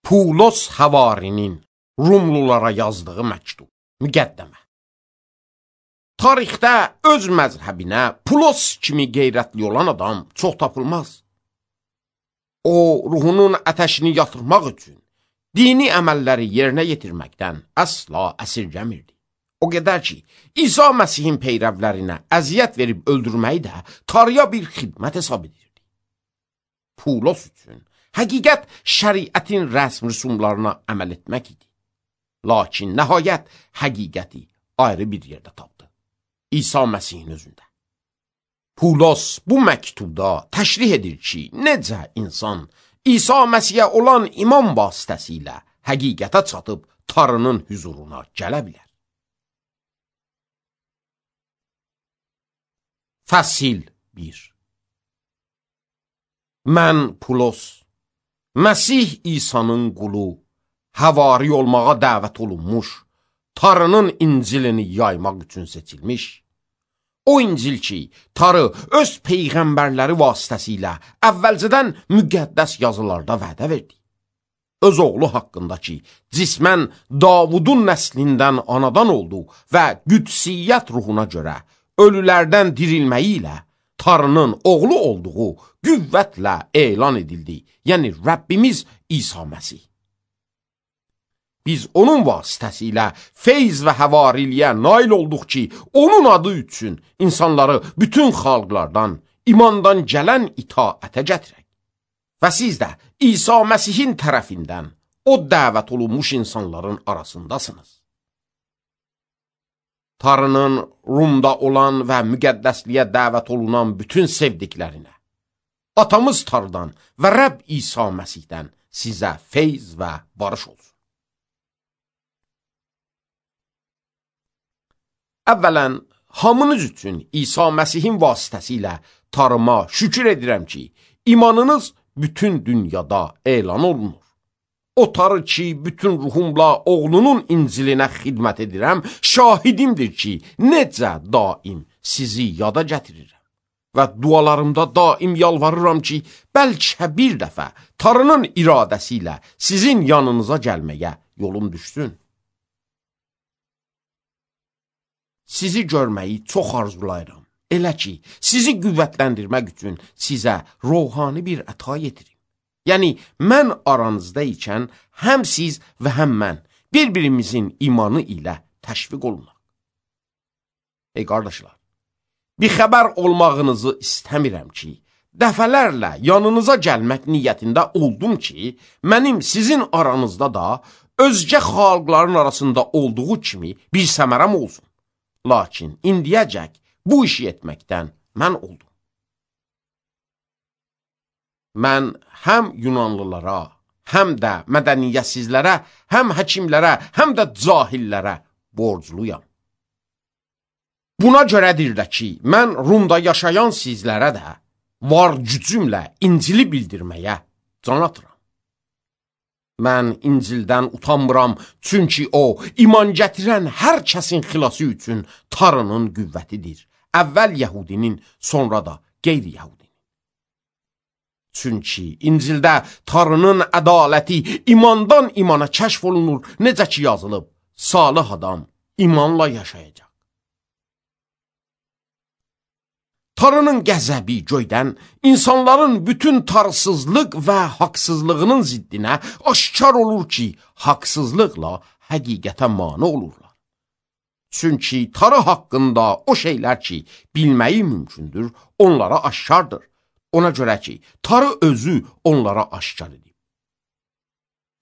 Pulos Həvarinin Rumlulara yazdığı məktub, müqəddəmə. Tarixdə öz məzhəbinə Pulos kimi qeyrətli olan adam çox tapılmaz. O, ruhunun ətəşini yatırmaq üçün dini əməlləri yerinə yetirməkdən əsla əsirgəmirdi. O qədər ki, İsa Məsihin peyrəvlərinə əziyyət verib öldürməyi də tarıya bir xidmət hesab edirdi. Pulos üçün həqiqət şəriətin rəsm rüsumlarına əməl etmək idi. Lakin nəhayət həqiqəti ayrı bir yerdə tapdı. İsa Məsihin özündə. Pulos bu məktubda təşrih edir ki, necə insan İsa Məsihə olan iman vasitəsilə həqiqətə çatıb Tanrının hüzuruna gələ bilər. Fəsil 1. Mən Pulos, Məsih İsa'nın qulu, həvari olmağa dəvət olunmuş, Tanrının İncilini yaymaq üçün seçilmiş. O İncil ki, Tanrı öz peyğəmbərləri vasitəsilə əvvəlcədən müqəddəs yazılarda vədə verdi. Öz oğlu haqqında ki, cismən Davudun nəslindən anadan oldu və qüdsiyyət ruhuna görə ölülərdən dirilməyi ilə Tanrının oğlu olduğu qüvvətlə elan edildi. Yəni Rəbbimiz İsa Məsih. Biz onun vasitəsilə feyz və həvariliyə nail olduq ki, onun adı üçün insanları bütün xalqlardan, imandan gələn itaətə gətirək. Və siz də İsa Məsihin tərəfindən o dəvət olunmuş insanların arasındasınız. Tanrının Rumda olan və müqəddəsliyə dəvət olunan bütün sevdiklərinə, atamız Tanrıdan və Rəbb İsa Məsihdən sizə feyz və barış olsun. Əvvələn, hamınız üçün İsa Məsihin vasitəsilə Tanrıma şükür edirəm ki, imanınız bütün dünyada elan olunur. O Tanrı ki, bütün ruhumla oğlunun İncilinə xidmət edirəm, şahidimdir ki, necə daim sizi yada gətirirəm. Və dualarımda daim yalvarıram ki, bəlkə bir dəfə Tanrının iradəsi ilə sizin yanınıza gəlməyə yolum düşsün. Sizi görməyi çox arzulayıram. Elə ki, sizi qüvvətləndirmək üçün sizə ruhani bir əta yetirim. Yəni, mən aranızda ikən həm siz və həm mən bir-birimizin imanı ilə təşviq olunaq. Ey qardaşlar, bir xəbər olmağınızı istəmirəm ki, dəfələrlə yanınıza gəlmək niyyətində oldum ki, mənim sizin aranızda da özgə xalqların arasında olduğu kimi bir səmərəm olsun. Lakin indiyəcək bu işi etməkdən mən oldum. Mən həm Yunanlılara, həm də mədəniyyətsizlərə, həm həkimlərə, həm də cahillərə borcluyam. Buna görədir də ki, mən Rumda yaşayan sizlərə də var gücümlə İncili bildirməyə can atıram. Mən İncildən utanmıram, çünki o, iman gətirən hər kəsin xilası üçün Tanrının qüvvətidir. Əvvəl Yəhudinin, sonra da qeyri-Yəhudinin. Çünki İncildə Tanrının ədaləti imandan imana kəşf olunur, necə ki yazılıb, salih adam imanla yaşayacaq. Tanrının qəzəbi göydən insanların bütün tarsızlıq və haqsızlığının ziddinə aşkar olur ki, haqsızlıqla həqiqətə mane olurlar. Çünki Tanrı haqqında o şeylər ki, bilməyi mümkündür, onlara aşkardır. Ona görə ki, Tanrı özü onlara aşkar edib.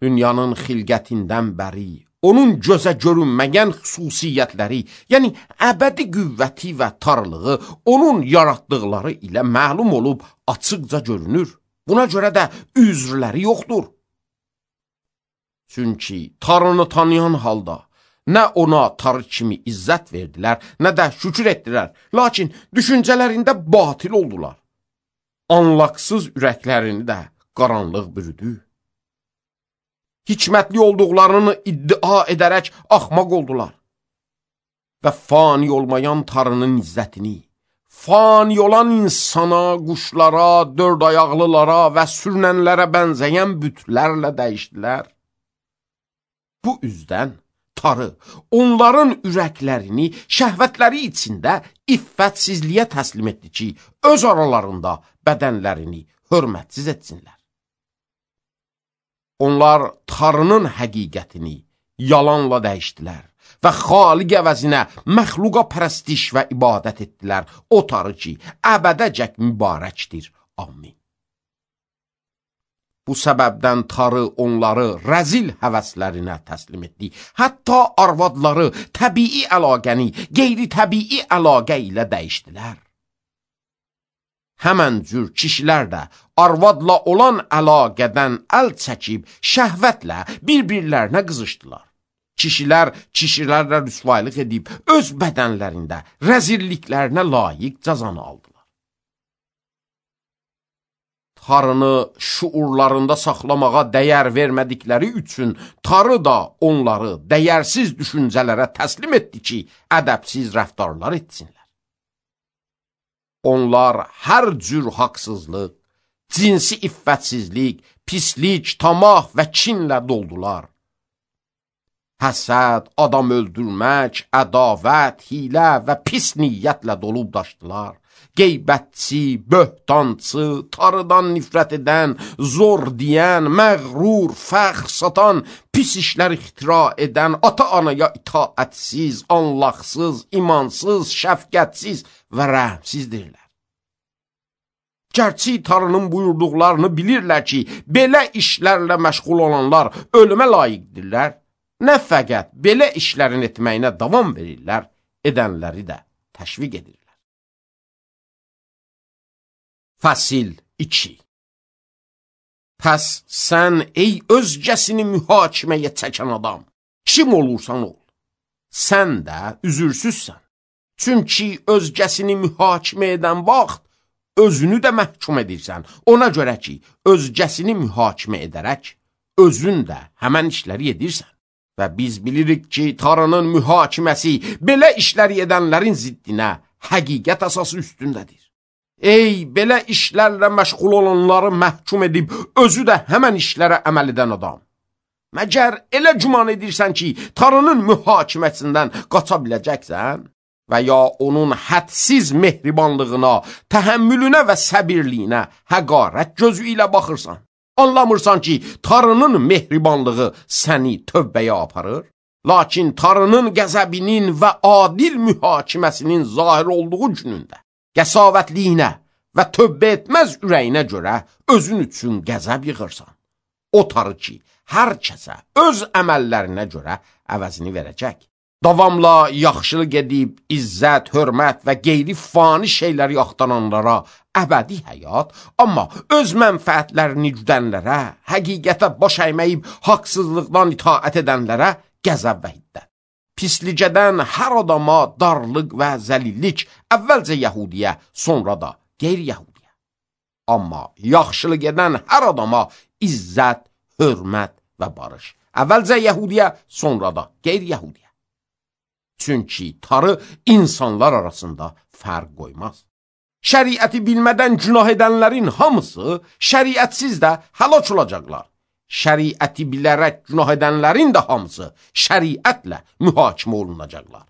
Dünyanın xilqətindən bəri, onun gözə görünməyən xüsusiyyətləri, yəni əbədi qüvvəti və tarlığı onun yaratdıqları ilə məlum olub açıqca görünür. Buna görə də üzrləri yoxdur. Çünki Tanrını tanıyan halda nə ona Tanrı kimi izzət verdilər, nə də şükür etdilər, lakin düşüncələrində batil oldular. Anlaqsız ürəklərini də qaranlıq bürüdü. Hikmətli olduqlarını iddia edərək axmaq oldular. Və fani olmayan Tanrının izzətini, fani olan insana, quşlara, dörd ayaqlılara və sürünənlərə bənzəyən bütlərlə dəyişdilər. Bu üzdən tarı onların ürəklərini şəhvətləri içində iffətsizliyə təslim etdi ki, öz aralarında bədənlərini hörmətsiz etsinlər. Onlar tarının həqiqətini yalanla dəyişdilər və xaliq əvəzinə məxluqa pərəstiş və ibadət etdilər. O tarı ki, əbədəcək mübarəkdir. Amin. Bu səbəbdən tarı onları rəzil həvəslərinə təslim etdi. Hətta arvadları təbii əlaqəni qeyri-təbii əlaqə ilə dəyişdilər. Həmən cür kişilər də arvadla olan əlaqədən əl çəkib şəhvətlə bir-birlərinə qızışdılar. Kişilər kişilərlə rüsvaylıq edib öz bədənlərində rəzilliklərinə layiq cəzanı aldılar. Tarını şuurlarında saxlamağa dəyər vermədikləri üçün tarı da onları dəyərsiz düşüncələrə təslim etdi ki, ədəbsiz rəftarlar etsinlər. Onlar hər cür haqsızlıq, cinsi iffətsizlik, pislik, tamah və kinlə doldular. Həsəd, adam öldürmək, ədavət, hilə və pis niyyətlə dolub daşdılar. Qeybətçi, böhtancı, tarıdan nifrət edən, zor deyən, məğrur, fəxr satan, pis işlər ixtira edən, ata-anaya itaətsiz, anlaqsız, imansız, şəfqətsiz və rəhmsizdirlər. Gərçi tarının buyurduqlarını bilirlər ki, belə işlərlə məşğul olanlar ölümə layiqdirlər, nə fəqət belə işlərin etməyinə davam verirlər, edənləri də təşviq edirlər. Fəsil 2. Pəs sən ey özgəsini mühakiməyə çəkən adam, kim olursan ol, sən də üzürsüzsən. Çünki özgəsini mühakimə edən vaxt, özünü də məhkum edirsən. Ona görə ki, özgəsini mühakimə edərək, özün də həmən işləri edirsən. Və biz bilirik ki, tarının mühakiməsi belə işləri edənlərin ziddinə həqiqət əsası üstündədir. Ey, belə işlərlə məşğul olanları məhkum edib, özü də həmən işlərə əməl edən adam. Məgər elə güman edirsən ki, tarının mühakiməsindən qaça biləcəksən? Və ya onun hədsiz mehribanlığına, təhəmmülünə və səbirliyinə həqarət gözü ilə baxırsan. Anlamırsan ki, tarının mehribanlığı səni tövbəyə aparır? Lakin tarının qəzəbinin və adil mühakiməsinin zahir olduğu günündə, qəsavətliyinə və tövbə etməz ürəyinə görə özün üçün qəzəb yığırsan. O tarı ki, hər kəsə öz əməllərinə görə əvəzini verəcək. Davamla yaxşılıq edib, izzət, hörmət və qeyri fani şeyləri axtaranlara əbədi həyat, amma öz mənfəətlərini güdənlərə, həqiqətə baş əyməyib, haqsızlıqdan itaət edənlərə qəzəb və hiddət. Pislicədən hər adama darlıq və zəlillik, əvvəlcə yəhudiyə, sonra da qeyri-yəhudiyə. Amma yaxşılıq edən hər adama izzət, hörmət və barış. Əvvəlcə yəhudiyə, sonra da qeyri-yəhudiyə. Çünki tarı insanlar arasında fərq qoymaz. Şəriəti bilmədən günah edənlərin hamısı şəriətsiz də həlak olacaqlar. Şəriəti bilərək günah edənlərin də hamısı şəriətlə mühakimə olunacaqlar.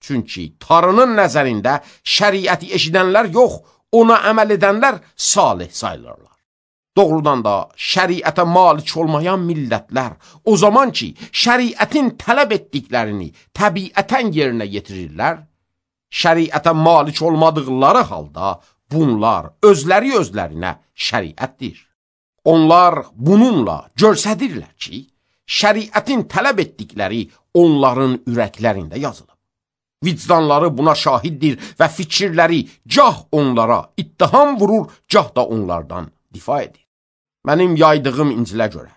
Çünki tarının nəzərində şəriəti eşidənlər yox, ona əməl edənlər salih sayılırlar. Doğrudan da şəriətə malik olmayan millətlər o zaman ki, şəriətin tələb etdiklərini təbiətən yerinə yetirirlər, şəriətə malik olmadıqları halda bunlar özlərinə şəriətdir. Onlar bununla göstərirlər ki, şəriətin tələb etdikləri onların ürəklərində yazılıb. Vicdanları buna şahiddir və fikirləri gah onlara ittiham vurur, gah da onlardan difa edir. Mənim yaydığım İncilə görə,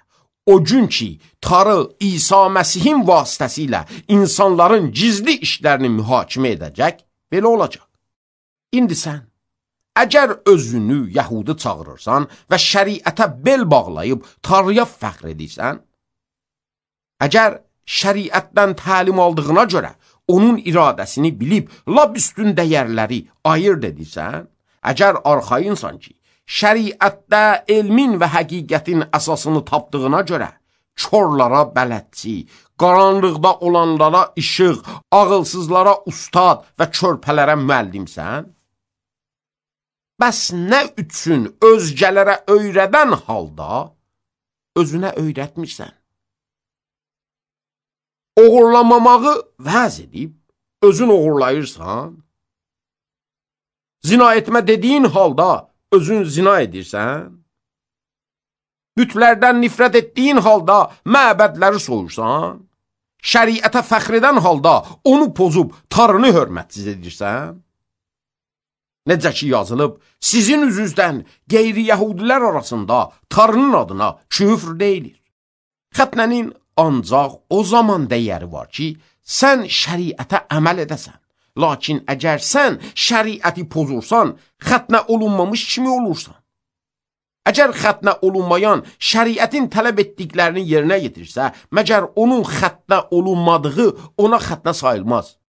o gün ki, tarı İsa Məsihin vasitəsilə insanların gizli işlərini mühakimə edəcək, belə olacaq. İndi sən, əgər özünü yəhudi çağırırsan və şəriətə bel bağlayıb tarıya fəxr edirsən, əgər şəriətdən təlim aldığına görə onun iradəsini bilib lap üstün dəyərləri ayırt edirsən, əgər arxayınsan ki, şəriətdə elmin və həqiqətin əsasını tapdığına görə korlara bələdçi, qaranlıqda olanlara işıq, ağılsızlara ustad və körpələrə müəllimsən? Bəs nə üçün özgələrə öyrədən halda özünə öyrətmirsən? Oğurlamamağı vəz edib, özün oğurlayırsan? Zina etmə dediyin halda özün zina edirsən? Bütlərdən nifrət etdiyin halda məbədləri soyursan? Şəriətə fəxr edən halda onu pozub tarını hörmətsiz edirsən? Necə ki yazılıb, sizin üzüzdən qeyri-yəhudilər arasında tarının adına küfr deyilir. Xətnənin ancaq o zaman dəyəri var ki, sən şəriətə əməl edəsən. Lakin əgər sən şəriəti pozursan, xətnə olunmamış kimi olursan. Əgər xətnə olunmayan şəriətin tələb etdiklərini yerinə yetirsə, məgər onun xətnə olunmadığı ona xətnə sayılmaz.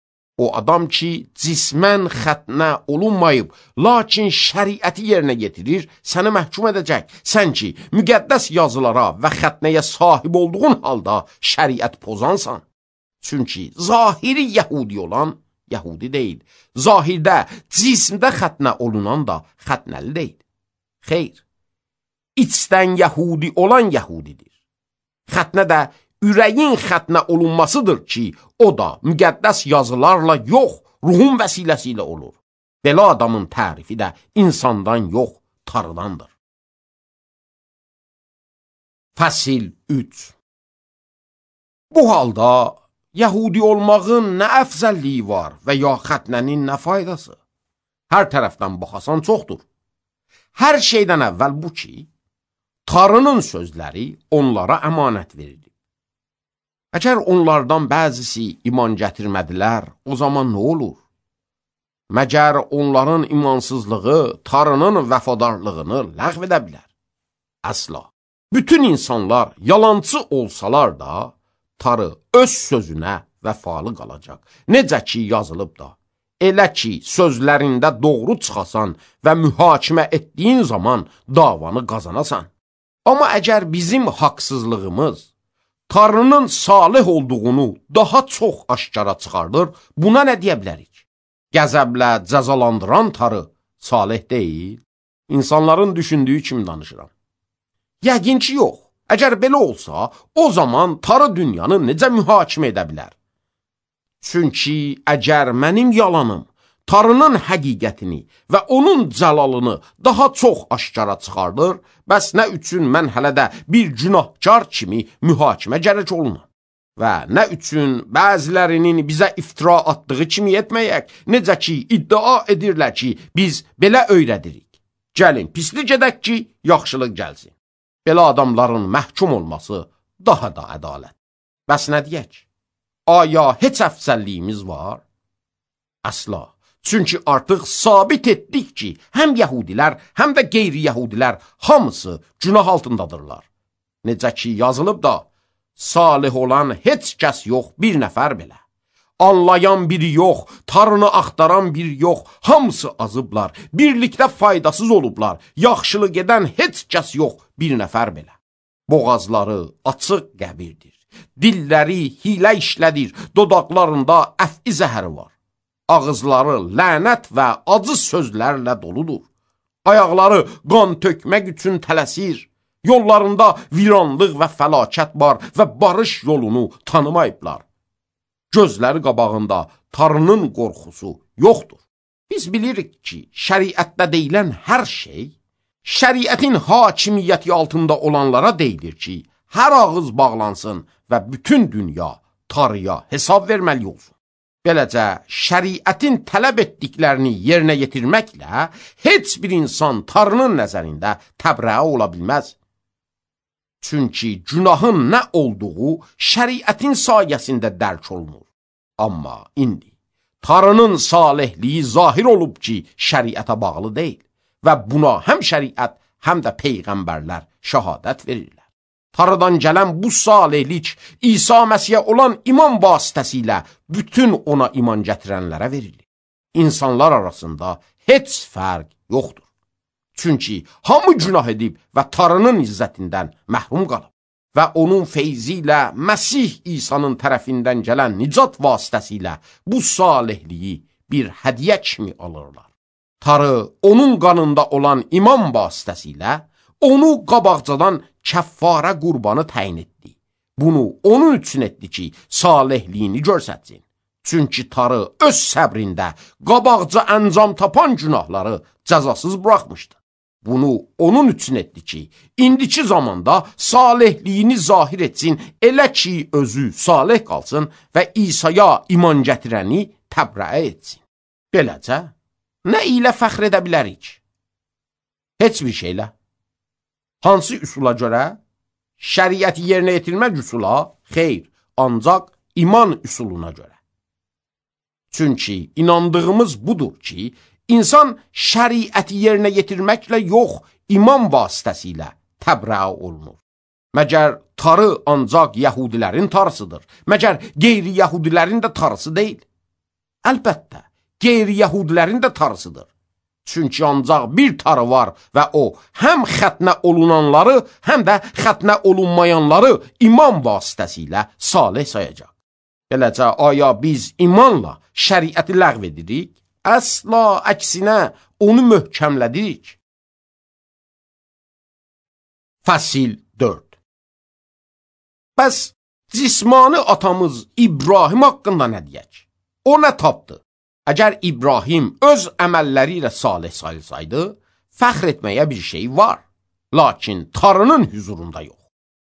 O adam ki, cismən xətnə olunmayıb, lakin şəriəti yerinə yetirir, səni məhkum edəcək. Sən ki, müqəddəs yazılara və xətnəyə sahib olduğun halda şəriət pozansan. Çünki zahiri yəhudi olan yəhudi deyil. Zahirdə, cismdə xətnə olunan da xətnəli deyil. Xeyr, içdən yəhudi olan yəhudidir. Xətnə də ürəyin xətnə olunmasıdır ki, o da müqəddəs yazılarla yox, ruhun vəsiləsi ilə olur. Belə adamın tərifi də insandan yox, tarıdandır. Fəsil 3. Bu halda yəhudi olmağın nə əfzəlliyi var və ya xətnənin nə faydası? Hər tərəfdən baxasan çoxdur. Hər şeydən əvvəl bu ki, tarının sözləri onlara əmanət verilir. Əgər onlardan bəzisi iman gətirmədilər, o zaman nə olur? Məgər onların imansızlığı tarının vəfadarlığını ləğv edə bilər? Əsla. Bütün insanlar yalancı olsalar da, tarı öz sözünə vəfalı qalacaq. Necə ki yazılıb da, elə ki sözlərində doğru çıxasan və mühakimə etdiyin zaman davanı qazanasan. Amma əgər bizim haqsızlığımız tarının salih olduğunu daha çox aşkara çıxardır, buna nə deyə bilərik? Qəzəblə cəzalandıran tarı salih deyil. İnsanların düşündüyü kimi danışıram. Yəqin ki yox. Əgər belə olsa, o zaman tarı dünyanı necə mühakimə edə bilər? Çünki əgər mənim yalanım tarının həqiqətini və onun cəlalını daha çox aşkara çıxardır, bəs nə üçün mən hələ də bir günahkar kimi mühakimə gərək olunam? Və nə üçün bəzilərinin bizə iftira atdığı kimi etməyək, necə ki iddia edirlər ki, biz belə öyrədirik. Gəlin, pislik edək ki, yaxşılıq gəlsin. Belə adamların məhkum olması daha da ədalət. Bəs nə deyək? Aya heç əfsəlliyimiz var? Əsla. Çünki artıq sabit etdik ki, həm yəhudilər, həm də qeyri-yəhudilər hamısı günah altındadırlar. Necə ki yazılıb da, salih olan heç kəs yox, bir nəfər belə. Anlayan biri yox, tarını axtaran biri yox, hamısı azıblar, birlikdə faydasız olublar, yaxşılıq edən heç kəs yox, bir nəfər belə. Boğazları açıq qəbirdir, dilləri hilə işlədir, dodaqlarında əf'i zəhəri var. Ağızları lənət və acı sözlərlə doludur. Ayaqları qan tökmək üçün tələsir. Yollarında viranlıq və fəlakət var və barış yolunu tanımayıblar. Gözləri qabağında tarının qorxusu yoxdur. Biz bilirik ki, şəriətdə deyilən hər şey, şəriətin hakimiyyəti altında olanlara deyilir ki, hər ağız bağlansın və bütün dünya tarıya hesab verməli olsun. Beləcə, şəriətin tələb etdiklərini yerinə yetirməklə heç bir insan tarının nəzərində təbrəə ola bilməz. Çünki günahın nə olduğu şəriətin sayəsində dərk olunur. Amma indi tarının salihliyi zahir olub ki, şəriətə bağlı deyil və buna həm şəriət, həm də peyğəmbərlər şəhadət verirlər. Tarıdan gələn bu salihlik İsa Məsihə olan iman vasitəsilə bütün ona iman gətirənlərə verilir. İnsanlar arasında heç fərq yoxdur. Çünki hamı günah edib və tarının izzətindən məhrum qalıb. və onun feyzi ilə Məsih İsa'nın tərəfindən gələn nicat vasitəsilə bu salihliyi bir hədiyyə kimi alırlar. Tarı onun qanında olan iman vasitəsilə onu qabaqcadan kəffarə qurbanı təyin etdi. Bunu onun üçün etdi ki, salihliyini görsətsin. Çünki Tarı öz səbrində qabaqca əncam tapan günahları cəzasız buraxmışdı. Bunu onun üçün etdi ki, indiki zamanda salihliyini zahir etsin, elə ki, özü salih qalsın və İsa'ya iman gətirəni təbriə etsin. Beləcə, nə ilə fəxr edə bilərik? Heç bir şeylə. Hansı üsula görə? Şəriəti yerinə yetirmək üsula? Xeyr, ancaq iman üsuluna görə. Çünki inandığımız budur ki, İnsan şəriəti yerinə yetirməklə yox, iman vasitəsilə təbriə olunur. Məgər tarı ancaq yəhudilərin tarısıdır. Məgər qeyri-yəhudilərin də tarısı deyil. Əlbəttə, qeyri-yəhudilərin də tarısıdır. Çünki ancaq bir tarı var və o, həm xətnə olunanları, həm də xətnə olunmayanları iman vasitəsilə salih sayacaq. Beləcə, aya biz imanla şəriəti ləğv edirik? Əsla əksinə onu möhkəmlədik. Fəsil 4. Bəs cismani atamız İbrahim haqqında nə deyək? O nə tapdı? Əgər İbrahim öz əməlləri ilə salih sayılsaydı, fəxr etməyə bir şey var. Lakin tarının hüzurunda yox.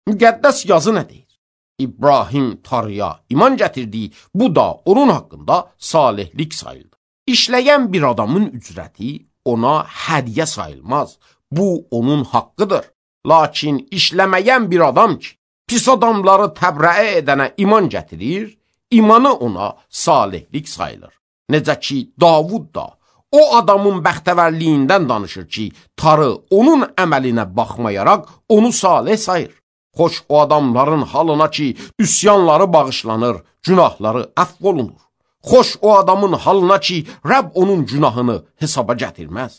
Müqəddəs yazı nə deyir? İbrahim tarıya iman gətirdi, bu da onun haqqında salihlik sayıldı. İşləyən bir adamın ücrəti ona hədiyyə sayılmaz. Bu onun haqqıdır. Lakin işləməyən bir adam ki, pis adamları təbriə edənə iman gətirir, imanı ona salihlik sayılır. Necə ki, Davud da o adamın bəxtəvərliyindən danışır ki, tarı onun əməlinə baxmayaraq onu salih sayır. Xoş o adamların halına ki, üsyanları bağışlanır, günahları əfv olunur. Xoş o adamın halına ki, Rəbb onun günahını hesaba gətirməz.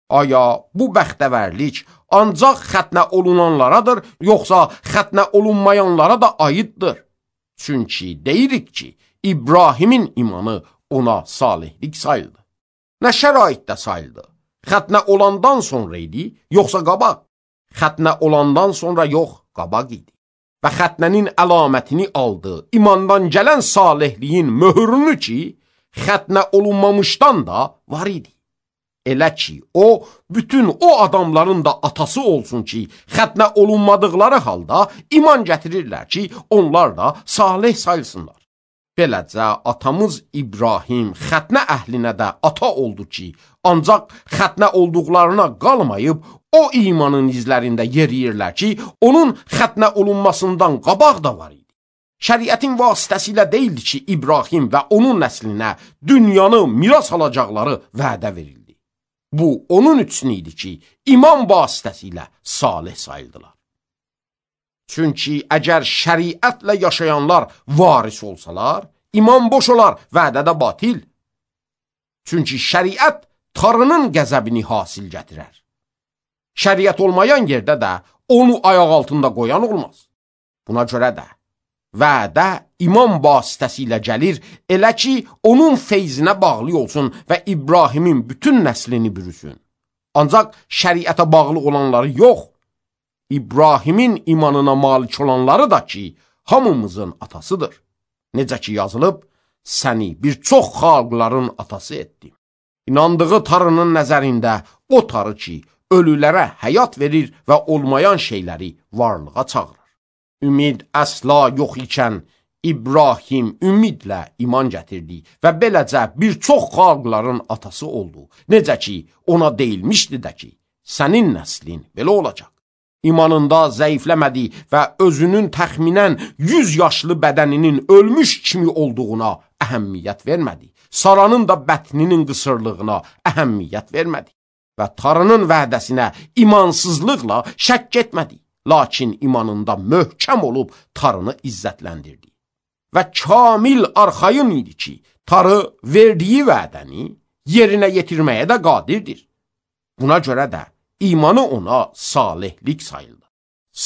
Aya bu bəxtəvərlik ancaq xətnə olunanlaradır, yoxsa xətnə olunmayanlara da aiddir. Çünki deyirik ki, İbrahimin imanı ona salihlik sayıldı. Nə şəraitdə sayıldı? Xətnə olandan sonra idi, yoxsa qabaq? Xətnə olandan sonra yox, qabaq idi. Və xətnənin əlamətini aldı, imandan gələn salihliyin möhürünü ki, xətnə olunmamışdan da var idi. Elə ki, o, bütün o adamların da atası olsun ki, xətnə olunmadıqları halda iman gətirirlər ki, onlar da salih sayılsınlar. Beləcə, atamız İbrahim xətnə əhlinə də ata oldu ki, ancaq xətnə olduqlarına qalmayıb, o imanın izlərində yeriyirlər ki, onun xətnə olunmasından qabaq da var idi. Şəriətin vasitəsilə deyildi ki, İbrahim və onun nəslinə dünyanı miras alacaqları vədə verildi. Bu, onun üçün idi ki, iman vasitəsilə salih sayıldılar. Çünki əgər şəriətlə yaşayanlar varis olsalar, iman boş olar, vədə də batil. Çünki şəriət tarının qəzəbini hasil gətirər. Şəriət olmayan yerdə də onu ayaq altında qoyan olmaz. Buna görə də vədə iman vasitəsilə gəlir, elə ki, onun feyzinə bağlı olsun və İbrahimin bütün nəslini bürüsün. Ancaq şəriətə bağlı olanları yox, İbrahimin imanına malik olanları da ki, hamımızın atasıdır. Necə ki yazılıb, səni bir çox xalqların atası etdim. İnandığı tarının nəzərində o tarı ki, ölülərə həyat verir və olmayan şeyləri varlığa çağırır. Ümid əsla yox ikən İbrahim ümidlə iman gətirdi və beləcə bir çox xalqların atası oldu. Necə ki, ona deyilmişdi də ki, sənin nəslin belə olacaq. İmanında zəifləmədi və özünün təxminən 100 yaşlı bədəninin ölmüş kimi olduğuna əhəmmiyyət vermədi. Saranın da bətninin qısırlığına əhəmmiyyət vermədi. Və tarının vədəsinə imansızlıqla şəkk etmədi. Lakin imanında möhkəm olub tarını izzətləndirdi. Və kamil arxayın idi ki, tarı verdiyi vədəni yerinə yetirməyə də qadirdir. Buna görə də imanı ona salihlik sayıldı.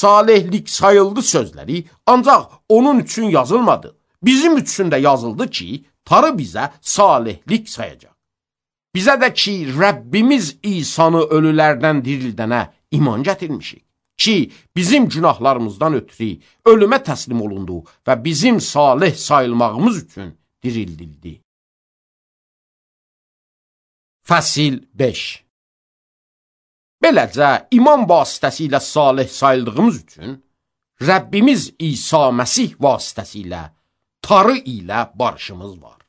salihlik sayıldı sözləri ancaq onun üçün yazılmadı. Bizim üçün də yazıldı ki, Tanrı bizə salihlik sayacaq. Bizə də ki, Rəbbimiz İsanı ölülərdən dirildənə iman gətirmişik. Ki, bizim günahlarımızdan ötürü ölümə təslim olundu və bizim salih sayılmağımız üçün dirildildi. Fəsil 5. Beləcə, iman vasitəsilə salih sayıldığımız üçün Rəbbimiz İsa Məsih vasitəsilə Tanrı ilə barışımız var.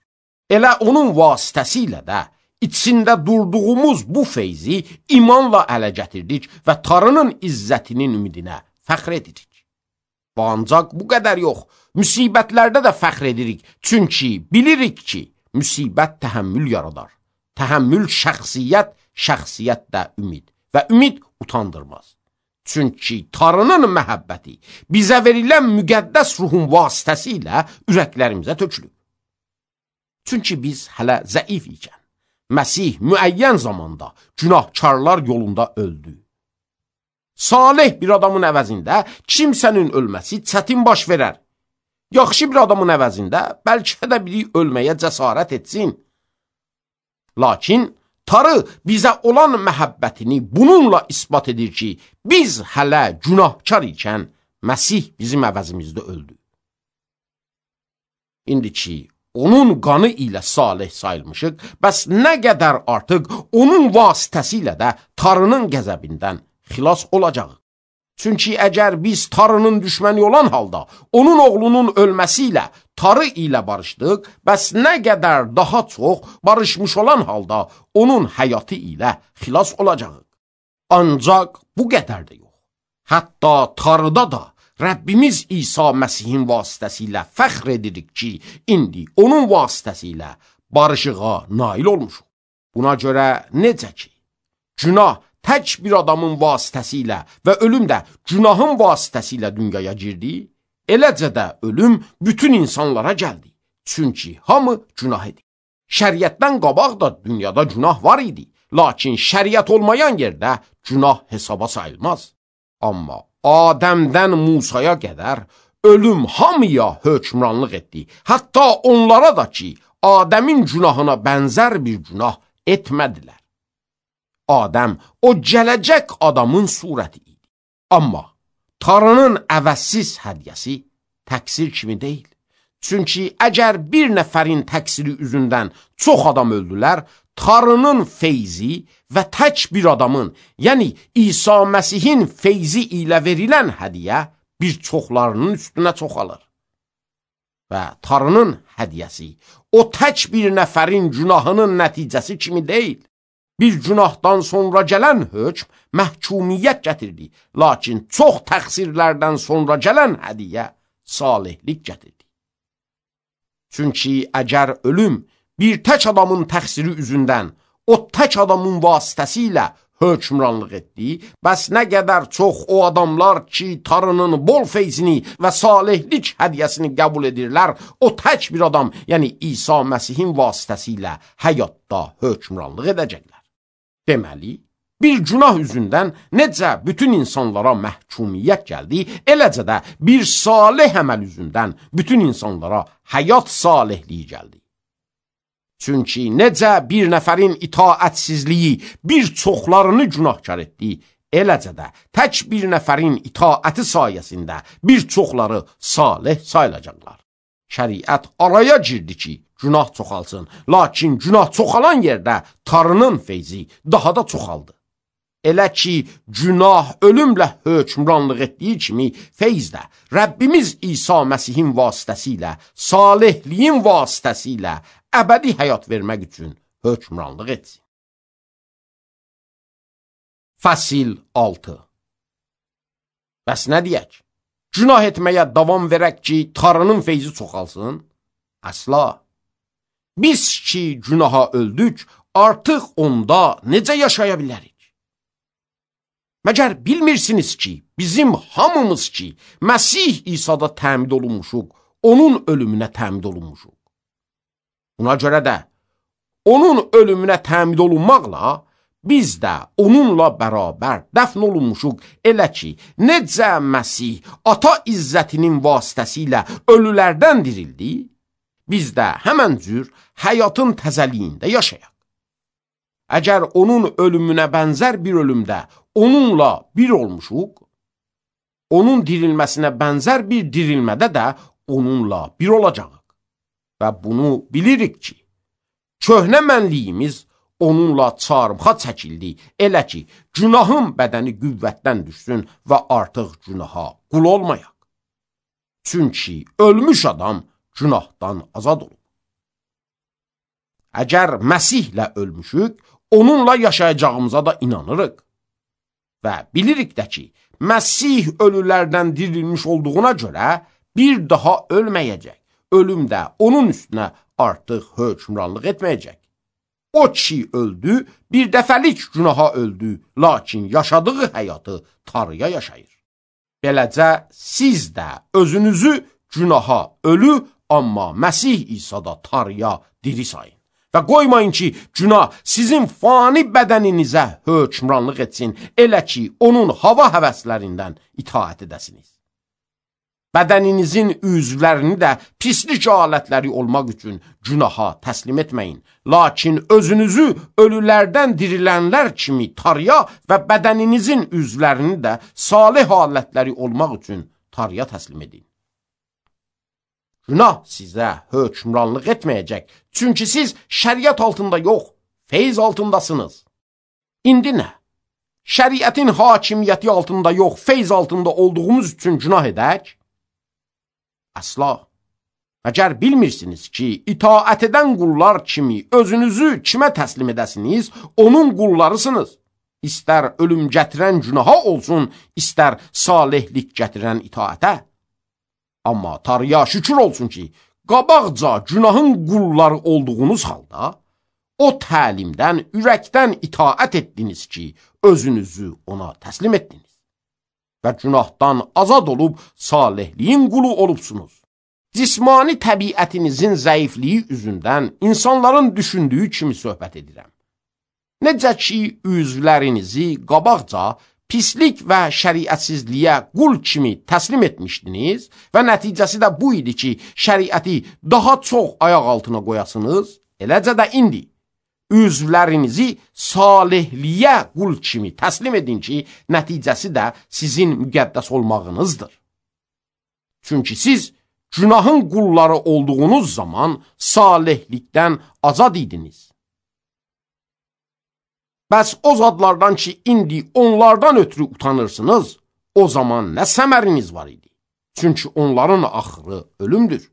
Elə onun vasitəsilə də içində durduğumuz bu feyzi imanla ələ gətirdik və Tanrının izzətinin ümidinə fəxr edirik. Və ancaq bu qədər yox, müsibətlərdə də fəxr edirik. Çünki bilirik ki, müsibət təhəmmül yaradar. Təhəmmül şəxsiyyət, şəxsiyyət də ümid və ümid utandırmaz. Çünki Tanrının məhəbbəti bizə verilən müqəddəs ruhun vasitəsilə ürəklərimizə tökülüb. Çünki biz hələ zəif ikən, Məsih müəyyən zamanda günahkarlar yolunda öldü. Salih bir adamın əvəzində kimsənin ölməsi çətin baş verər. Yaxşı bir adamın əvəzində bəlkə də biri ölməyə cəsarət etsin. Lakin Tanrı bizə olan məhəbbətini bununla isbat edir ki, biz hələ günahkar ikən Məsih bizim əvəzimizdə öldü. İndi ki, onun qanı ilə salih sayılmışıq, bəs nə qədər artıq onun vasitəsilə də Tanrının qəzəbindən xilas olacaq. Çünki əgər biz Tanrının düşməni olan halda onun oğlunun ölməsi ilə Tanrı ilə barışdıq, bəs nə qədər daha çox barışmış olan halda onun həyatı ilə xilas olacaq. Ancaq bu qədər də yox. Hətta Tanrıda da Rəbbimiz İsa Məsihin vasitəsilə fəxr edirik ki, indi onun vasitəsilə barışığa nail olmuşuq. Buna görə necə ki, günah tək bir adamın vasitəsilə və ölüm də günahın vasitəsilə dünyaya girdi, eləcə də ölüm bütün insanlara gəldi. Çünki hamı günah edir. Şəriətdən qabaq da dünyada günah var idi, lakin şəriət olmayan yerdə günah hesaba sayılmaz. Amma Adəmdən Musaya qədər ölüm hamıya hökmranlıq etdi. Hətta onlara da ki, Adəmin günahına bənzər bir günah etmədilər. Adəm o gələcək adamın surəti idi. Amma Tanrının əvəzsiz hədiyyəsi təqsir kimi deyil. Çünki əgər bir nəfərin təqsiri üzündən çox adam öldülər, Tanrının feyzi və tək bir adamın, yəni İsa Məsihin feyzi ilə verilən hədiyyə bir çoxlarının üstünə çoxalır. Və Tanrının hədiyyəsi o tək bir nəfərin günahının nəticəsi kimi deyil. Bir günahdan sonra gələn hökm məhkumiyyət gətirdi, lakin çox təqsirlərdən sonra gələn hədiyyə salihlik gətirdi. Çünki əgər ölüm bir tək adamın təqsiri üzündən o tək adamın vasitəsilə hökmranlıq etdi, bəs nə qədər çox o adamlar ki, Tanrının bol feyzini və salihlik hədiyyəsini qəbul edirlər, o tək bir adam, yəni İsa Məsihin vasitəsilə həyatda hökmranlıq edəcəklər. Deməli, bir günah üzündən necə bütün insanlara məhkumiyyət gəldi, eləcə də bir salih əməl üzündən bütün insanlara həyat salihliyi gəldi. Çünki necə bir nəfərin itaətsizliyi bir çoxlarını günahkar etdi, eləcə də tək bir nəfərin itaəti sayəsində bir çoxları salih sayılacaqlar. Şəriət araya girdi ki, günah çoxalsın, lakin günah çoxalan yerdə Tanrının feyzi daha da çoxaldı. Elə ki, günah ölümlə hökmranlıq etdiyi kimi, feyz də Rəbbimiz İsa Məsihin vasitəsilə, salihliyin vasitəsilə əbədi həyat vermək üçün hökmranlıq etsin. Fəsil 6. Bəs nə deyək? Günah etməyə davam verək ki, Tanrının feyzi çoxalsın? Əsla. Biz ki, günaha öldük, artıq onda necə yaşaya bilərik? Məgər bilmirsiniz ki, bizim hamımız ki, Məsih İsa'da təmid olunmuşuq, onun ölümünə təmid olunmuşuq. Buna görə də, onun ölümünə təmid olunmaqla biz də onunla bərabər dəfn olunmuşuq, elə ki, necə Məsih ata izzətinin vasitəsilə ölülərdən dirildi, biz də həmən cür həyatın təzəliyində yaşayaq. Əgər onun ölümünə bənzər bir ölümdə onunla bir olmuşuq, onun dirilməsinə bənzər bir dirilmədə də onunla bir olacaq. Və bunu bilirik ki, köhnə mənliyimiz onunla çarmıxa çəkildi, elə ki, günahın bədəni qüvvətdən düşsün və artıq günaha qul olmayaq. Çünki ölmüş adam günahdan azad olub. Əgər Məsihlə ölmüşük, onunla yaşayacağımıza da inanırıq. Və bilirik də ki, Məsih ölülərdən dirilmiş olduğuna görə bir daha ölməyəcək. Ölüm də onun üstünə artıq hökmranlıq etməyəcək. O ki öldü, bir dəfəlik günaha öldü, lakin yaşadığı həyatı Tanrıya yaşayır. Beləcə siz də özünüzü günaha ölü, amma Məsih İsa'da Tanrıya diri sayın. Və qoymayın ki, günah sizin fani bədəninizə hökmranlıq etsin, elə ki, onun hava həvəslərindən itaət edəsiniz. Bədəninizin üzvlərini də pislik alətləri olmaq üçün günaha təslim etməyin. Lakin özünüzü ölülərdən dirilənlər kimi Tanrıya və bədəninizin üzvlərini də salih alətləri olmaq üçün Tanrıya təslim edin. Günah sizə hökmranlıq etməyəcək. Çünki siz şəriət altında yox, feyz altındasınız. İndi nə? Şəriətin hakimiyyəti altında yox, feyz altında olduğumuz üçün günah edək? Əsla. Əgər bilmirsiniz ki, itaət edən qullar kimi özünüzü kimə təslim edəsiniz, onun qullarısınız. İstər ölüm gətirən günaha olsun, istər salihlik gətirən itaətə. Amma Tanrıya şükür olsun ki, qabaqca günahın qulları olduğunuz halda, o təlimdən, ürəkdən itaət etdiniz ki, özünüzü ona təslim etdiniz. Və günahdan azad olub salihliyin qulu olubsunuz. Cismani təbiətinizin zəifliyi üzündən insanların düşündüyü kimi söhbət edirəm. Necə ki, üzvlərinizi qabaqca pislik və şəriətsizliyə qul kimi təslim etmişdiniz və nəticəsi də bu idi ki, şəriəti daha çox ayaq altına qoyasınız, eləcə də indi üzvlərinizi salihliyə qul kimi təslim edin ki, nəticəsi də sizin müqəddəs olmağınızdır. Çünki siz günahın qulları olduğunuz zaman salihlikdən azad idiniz. Bəs o zadlardan ki, indi onlardan ötürü utanırsınız, o zaman nə səməriniz var idi? Çünki onların axırı ölümdür.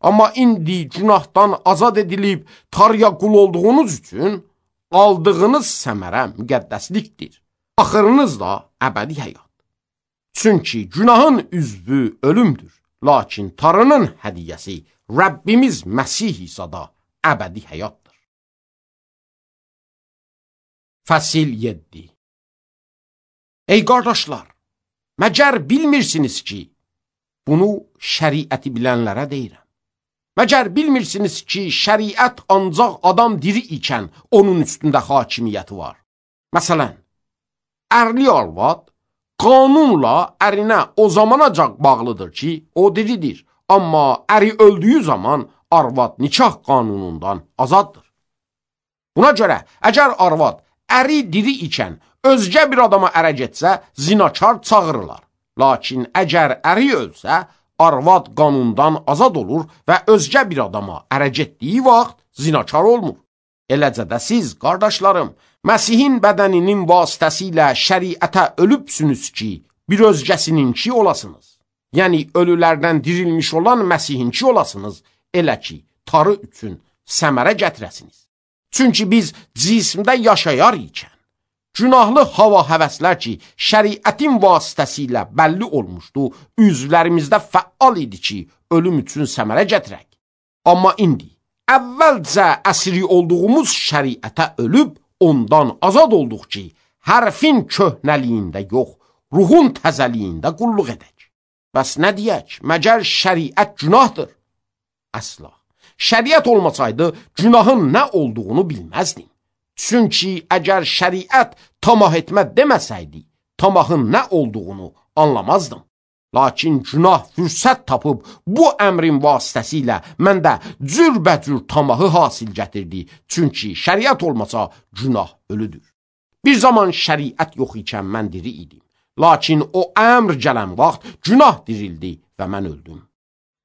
Amma indi günahdan azad edilib Tanrıya qul olduğunuz üçün aldığınız səmərə müqəddəslikdir. Axırınız da əbədi həyat. Çünki günahın üzvü ölümdür. Lakin Tanrının hədiyyəsi Rəbbimiz Məsih İsa'da əbədi həyatdır. Fəsil 7. Ey qardaşlar, məgər bilmirsiniz ki, bunu şəriəti bilənlərə deyirəm. Məgər bilmirsiniz ki, şəriət ancaq adam diri ikən onun üstündə hakimiyyəti var. Məsələn, ərli arvad qanunla ərinə o zamanacaq bağlıdır ki, o diridir. Amma əri öldüyü zaman arvad nikah qanunundan azaddır. Buna görə, əgər arvad əri diri ikən özgə bir adama ərə getsə, zinakar çağırırlar. Lakin əgər əri ölsə, arvad qanundan azad olur və özgə bir adama ərə getdiyi vaxt zinakar olmur. Eləcə də siz, qardaşlarım, Məsihin bədəninin vasitəsilə şəriətə ölübsünüz ki, bir özgəsininki olasınız. Yəni, ölülərdən dirilmiş olan Məsihinki olasınız, elə ki, Tanrı üçün səmərə gətirəsiniz. Çünki biz cismdə yaşayar ikən, günahlı hava həvəslər ki, şəriətin vasitəsilə bəlli olmuşdu, üzvlərimizdə fəal idi ki, ölüm üçün səmərə gətirək. Amma indi, əvvəlcə əsiri olduğumuz şəriətə ölüb, ondan azad olduq ki, hərfin köhnəliyində yox, ruhun təzəliyində qulluq edək. Bəs nə deyək, məgər şəriət günahdır? Əsla. Şəriət olmasaydı, günahın nə olduğunu bilməzdim. Çünki əgər şəriət tamah etmə deməsəydi, tamahın nə olduğunu anlamazdım. Lakin günah fürsət tapıb bu əmrin vasitəsilə məndə cürbəcür tamahı hasil gətirdi. Çünki şəriət olmasa günah ölüdür. Bir zaman şəriət yox ikən mən diri idim. Lakin o əmr gələn vaxt günah dirildi və mən öldüm.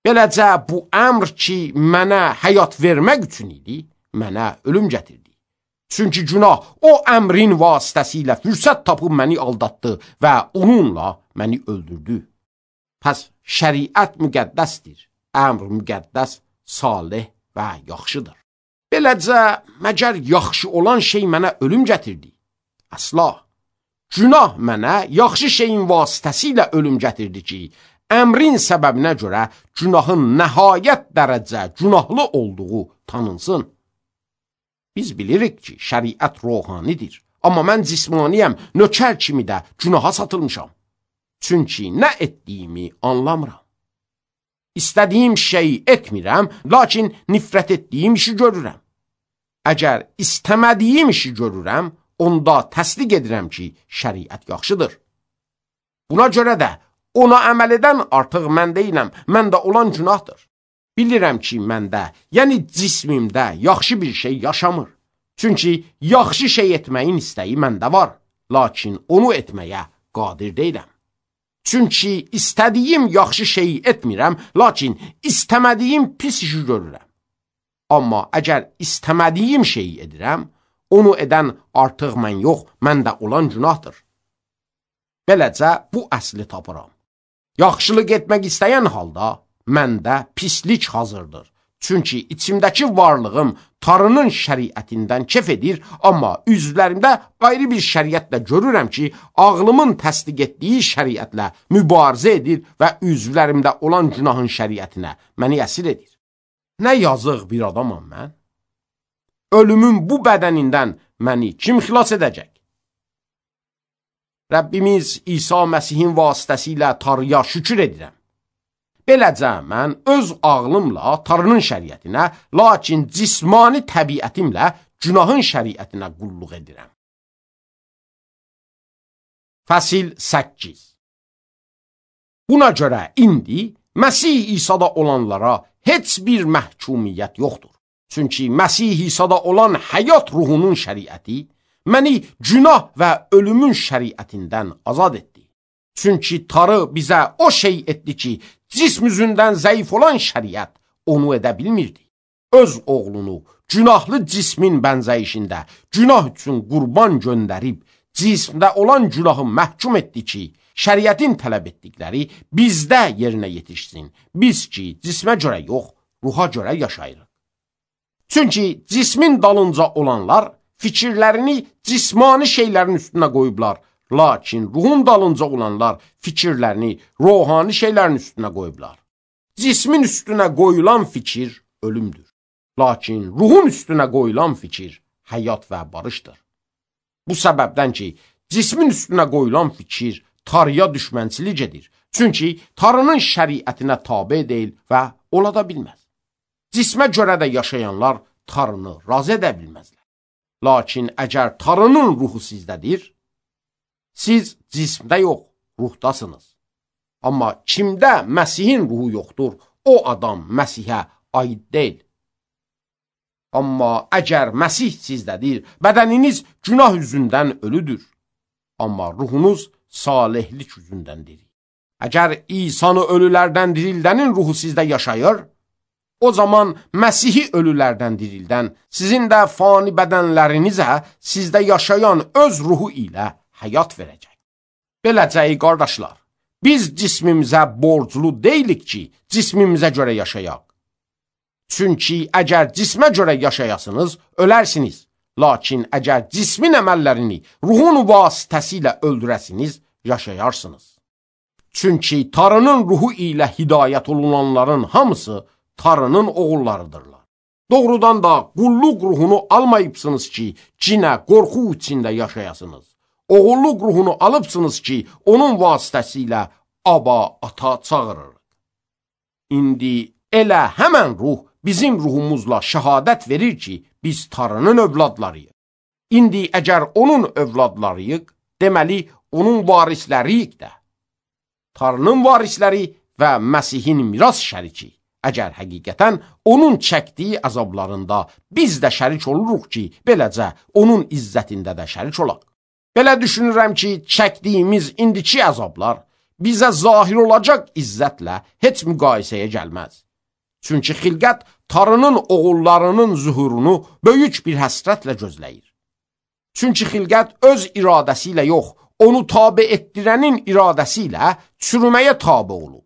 Beləcə bu əmr ki mənə həyat vermək üçün idi, mənə ölüm gətirdi. Çünki günah o əmrin vasitəsilə fürsət tapıb məni aldatdı və onunla məni öldürdü. Pəs şəriət müqəddəsdir, əmr müqəddəs, salih və yaxşıdır. Beləcə, məgər yaxşı olan şey mənə ölüm gətirdi? Əsla. Günah mənə yaxşı şeyin vasitəsilə ölüm gətirdi ki, əmrin səbəbinə görə günahın nəhayət dərəcə günahlı olduğu tanınsın. Biz bilirik ki, şəriət ruhanidir, amma mən cismaniyəm, nökər kimi də günaha satılmışam. Çünki nə etdiyimi anlamıram. İstədiyim şeyi etmirəm, lakin nifrət etdiyim işi görürəm. Əgər istəmədiyim işi görürəm, onda təsdiq edirəm ki, şəriət yaxşıdır. Buna görə də ona əməl edən artıq mən deyiləm, məndə olan günahdır. Bilirəm ki, məndə, yəni cismimdə yaxşı bir şey yaşamır. Çünki yaxşı şey etməyin istəyi məndə var, lakin onu etməyə qadir deyiləm. Çünki istədiyim yaxşı şeyi etmirəm, lakin istəmədiyim pis işi görürəm. Amma əgər istəmədiyim şeyi edirəm, onu edən artıq mən yox, məndə olan günahdır. Beləcə bu əsli tapıram. Yaxşılıq etmək istəyən halda məndə pislik hazırdır. Çünki içimdəki varlığım Tanrının şəriətindən kef edir, amma üzvlərimdə ayrı bir şəriətlə görürəm ki, ağlımın təsdiq etdiyi şəriətlə mübarizə edir və üzvlərimdə olan günahın şəriətinə məni əsir edir. Nə yazıq bir adamam mən? Ölümün bu bədənindən məni kim xilas edəcək? Rəbbimiz İsa Məsihin vasitəsilə Tanrıya şükür edirəm. Beləcə mən öz ağlımla Tanrının şəriətinə, lakin cismani təbiətimlə günahın şəriətinə qulluq edirəm. Fəsil 8. Buna görə indi Məsih İsa'da olanlara heç bir məhkumiyyət yoxdur. Çünki Məsih İsa'da olan həyat ruhunun şəriəti məni günah və ölümün şəriətindən azad etdi. Çünki Tanrı bizə o şey etdi ki, cism üzündən zəif olan şəriət onu edə bilmirdi. Öz oğlunu günahlı cismin bənzəyişində günah üçün qurban göndərib, cismdə olan günahı məhkum etdi ki, şəriətin tələb etdikləri bizdə yerinə yetişsin. Biz ki, cismə görə yox, ruha görə yaşayırıq. Çünki cismin dalınca olanlar fikirlərini cismani şeylərin üstünə qoyublar. Lakin ruhun dalınca olanlar fikirlərini ruhani şeylərin üstünə qoyublar. Cismin üstünə qoyulan fikir ölümdür. Lakin ruhun üstünə qoyulan fikir həyat və barışdır. Bu səbəbdən ki, cismin üstünə qoyulan fikir Tanrıya düşmənçilik edir. Çünki Tanrının şəriətinə tabe deyil və ola da bilməz. Cismə görə də yaşayanlar Tanrını razı edə bilməzlər. Lakin əgər Tanrının ruhu sizdədir, siz cismdə yox, ruhdasınız. Amma kimdə Məsihin ruhu yoxdur, o adam Məsihə aid deyil. Amma əgər Məsih sizdədir, bədəniniz günah üzündən ölüdür. Amma ruhunuz salihlik üzündəndir. Əgər İsa'nı ölülərdən dirildənin ruhu sizdə yaşayır, o zaman Məsihi ölülərdən dirildən, sizin də fani bədənlərinizə sizdə yaşayan öz ruhu ilə həyat verəcək. Beləcə, ey qardaşlar, biz cismimizə borclu deyilik ki, cismimizə görə yaşayaq. Çünki əgər cismə görə yaşayasınız, ölərsiniz. Lakin əgər cismin əməllərini ruhun vasitəsilə öldürəsiniz, yaşayarsınız. Çünki Tanrının ruhu ilə hidayət olunanların hamısı Tanrının oğullarıdırlar. Doğrudan da qulluq ruhunu almayıbsınız ki, cinə, qorxu içində yaşayasınız. Oğulluq ruhunu alıbsınız ki, onun vasitəsilə Aba, ata çağırırıq. İndi elə həmən ruh bizim ruhumuzla şəhadət verir ki, biz Tanrının övladlarıyıq. İndi əgər onun övladlarıyıq, deməli, onun varisləriyik də. Tanrının varisləri və Məsihin miras şəriki. Əgər həqiqətən onun çəkdiyi əzablarında biz də şərik oluruq ki, beləcə onun izzətində də şərik olaq. Belə düşünürəm ki, çəkdiyimiz indiki əzablar bizə zahir olacaq izzətlə heç müqayisəyə gəlməz. Çünki xilqət Tanrının oğullarının zuhurunu böyük bir həsrətlə gözləyir. Çünki xilqət öz iradəsi ilə yox, onu tabe etdirənin iradəsi ilə çürüməyə tabe olub.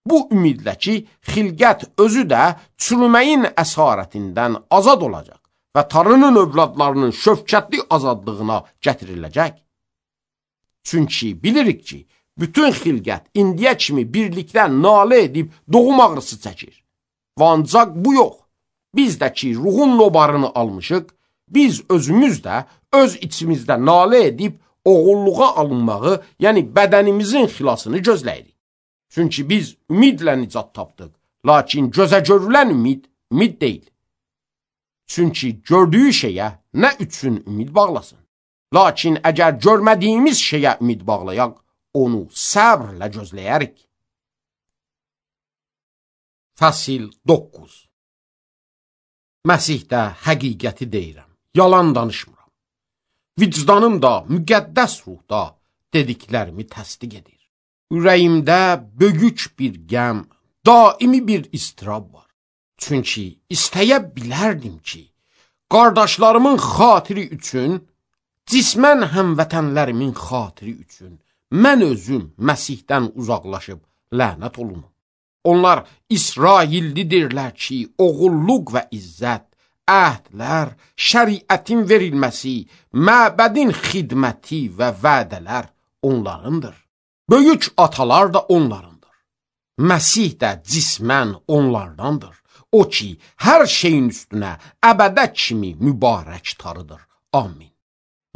Bu ümidlə ki, xilqət özü də çürüməyin əsarətindən azad olacaq və Tanrının övladlarının şöfkətli azadlığına gətiriləcək. Çünki bilirik ki, bütün xilqət indiyə kimi birlikdə nalə edib doğum ağrısı çəkir. Və ancaq bu yox, biz də ki ruhun nobarını almışıq, biz özümüz də öz içimizdə nalə edib oğulluğa alınmağı, yəni bədənimizin xilasını gözləyirik. Çünki biz ümidlə nicat tapdıq, lakin gözə görülən ümid deyil. Çünki gördüyü şeyə nə üçün ümid bağlasın? Lakin əgər görmədiyimiz şeyə ümid bağlayaq, onu səbrlə gözləyərik. Fəsil 9. Məsihdə həqiqəti deyirəm, yalan danışmıram. Vicdanım da, müqəddəs ruhda dediklərimi təsdiq edir. Ürəyimdə böyük bir qəm, daimi bir istirab var. Çünki istəyə bilərdim ki, qardaşlarımın xatiri üçün, cismən həmvətənlərimin xatiri üçün, mən özüm Məsihdən uzaqlaşıb lənət olunum. Onlar İsraillidirlər ki, oğulluq və izzət, əhdlər, şəriətin verilməsi, məbədin xidməti və vədələr onlarındır. Böyük atalar da onlarındır. Məsih də cismən onlardandır. O ki, hər şeyin üstünə əbədə kimi mübarək tarıdır. Amin.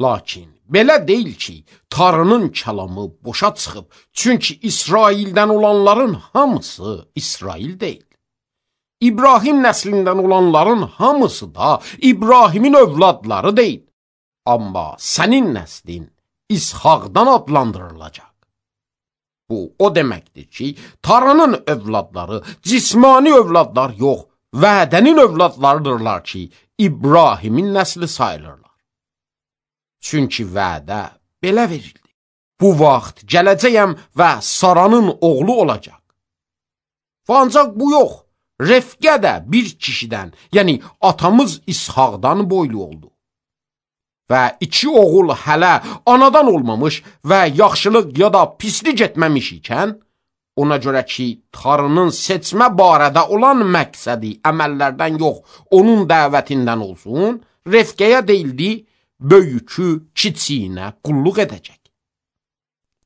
Lakin belə deyil ki, Tanrının kəlamı boşa çıxıb, çünki İsraildən olanların hamısı İsrail deyil. İbrahim nəslindən olanların hamısı da İbrahimin övladları deyil. Amma sənin nəslin İshaqdan adlandırılacaq. Bu, o deməkdir ki, Tanrının övladları cismani övladlar yox, vədənin övladlarıdırlar ki, İbrahimin nəsli sayılırlar. Çünki vədə belə verildi. Bu vaxt gələcəyəm və Saranın oğlu olacaq. Ancaq bu yox, Refqə də bir kişidən, yəni atamız İshaqdan boylu oldu. Və 2 oğul hələ anadan olmamış və yaxşılıq ya da pislik etməmiş ikən, ona görə ki, Tanrının seçmə barədə olan məqsədi əməllərdən yox, onun dəvətindən olsun, Refqəyə deyildi, böyükü kiçiyinə qulluq edəcək.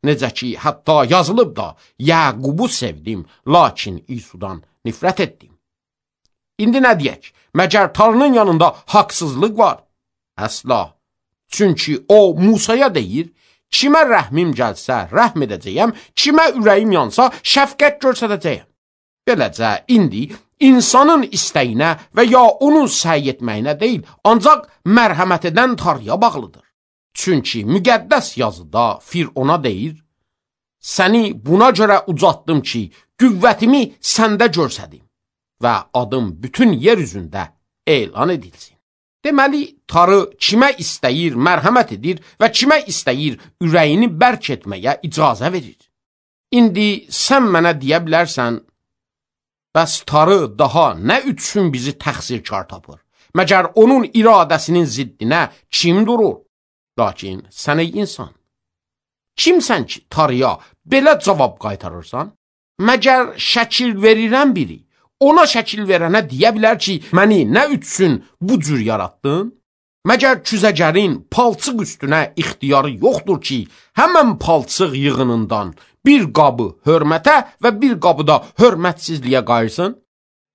Necə ki, hətta yazılıb da, Yaqubu sevdim, lakin İsudan nifrət etdim. İndi nə deyək? Məgər Tanrının yanında haqsızlıq var? Əsla. Çünki o Musaya deyir, kimə rəhmim gəlsə rəhm edəcəyəm, kimə ürəyim yansa şəfqət göstərəcəyəm. Beləcə, indi insanın istəyinə və ya onun səy etməyinə deyil, ancaq mərhəmət edən Tanrıya bağlıdır. Çünki müqəddəs yazıda Firona deyir, səni buna görə ucatdım ki, qüvvətimi səndə görsədim və adım bütün yer üzündə elan edilsin. Deməli, Tanrı kimə istəyir mərhəmət edir və kimə istəyir ürəyini bərk etməyə icazə verir. İndi sən mənə deyə bilərsən, bəs Tanrı daha nə üçün bizi təqsirkar tapır? Məgər onun iradəsinin ziddinə kim durur? Lakin sən ey insan, kimsən ki Tanrıya belə cavab qaytarırsan? Məgər şəkil verirən biri ona şəkil verənə deyə bilər ki, məni nə üçün bu cür yaratdın? Məgər küzəgərin palçıq üstünə ixtiyarı yoxdur ki, həmən palçıq yığınından bir qabı hörmətə və bir qabı da hörmətsizliyə qayırsın?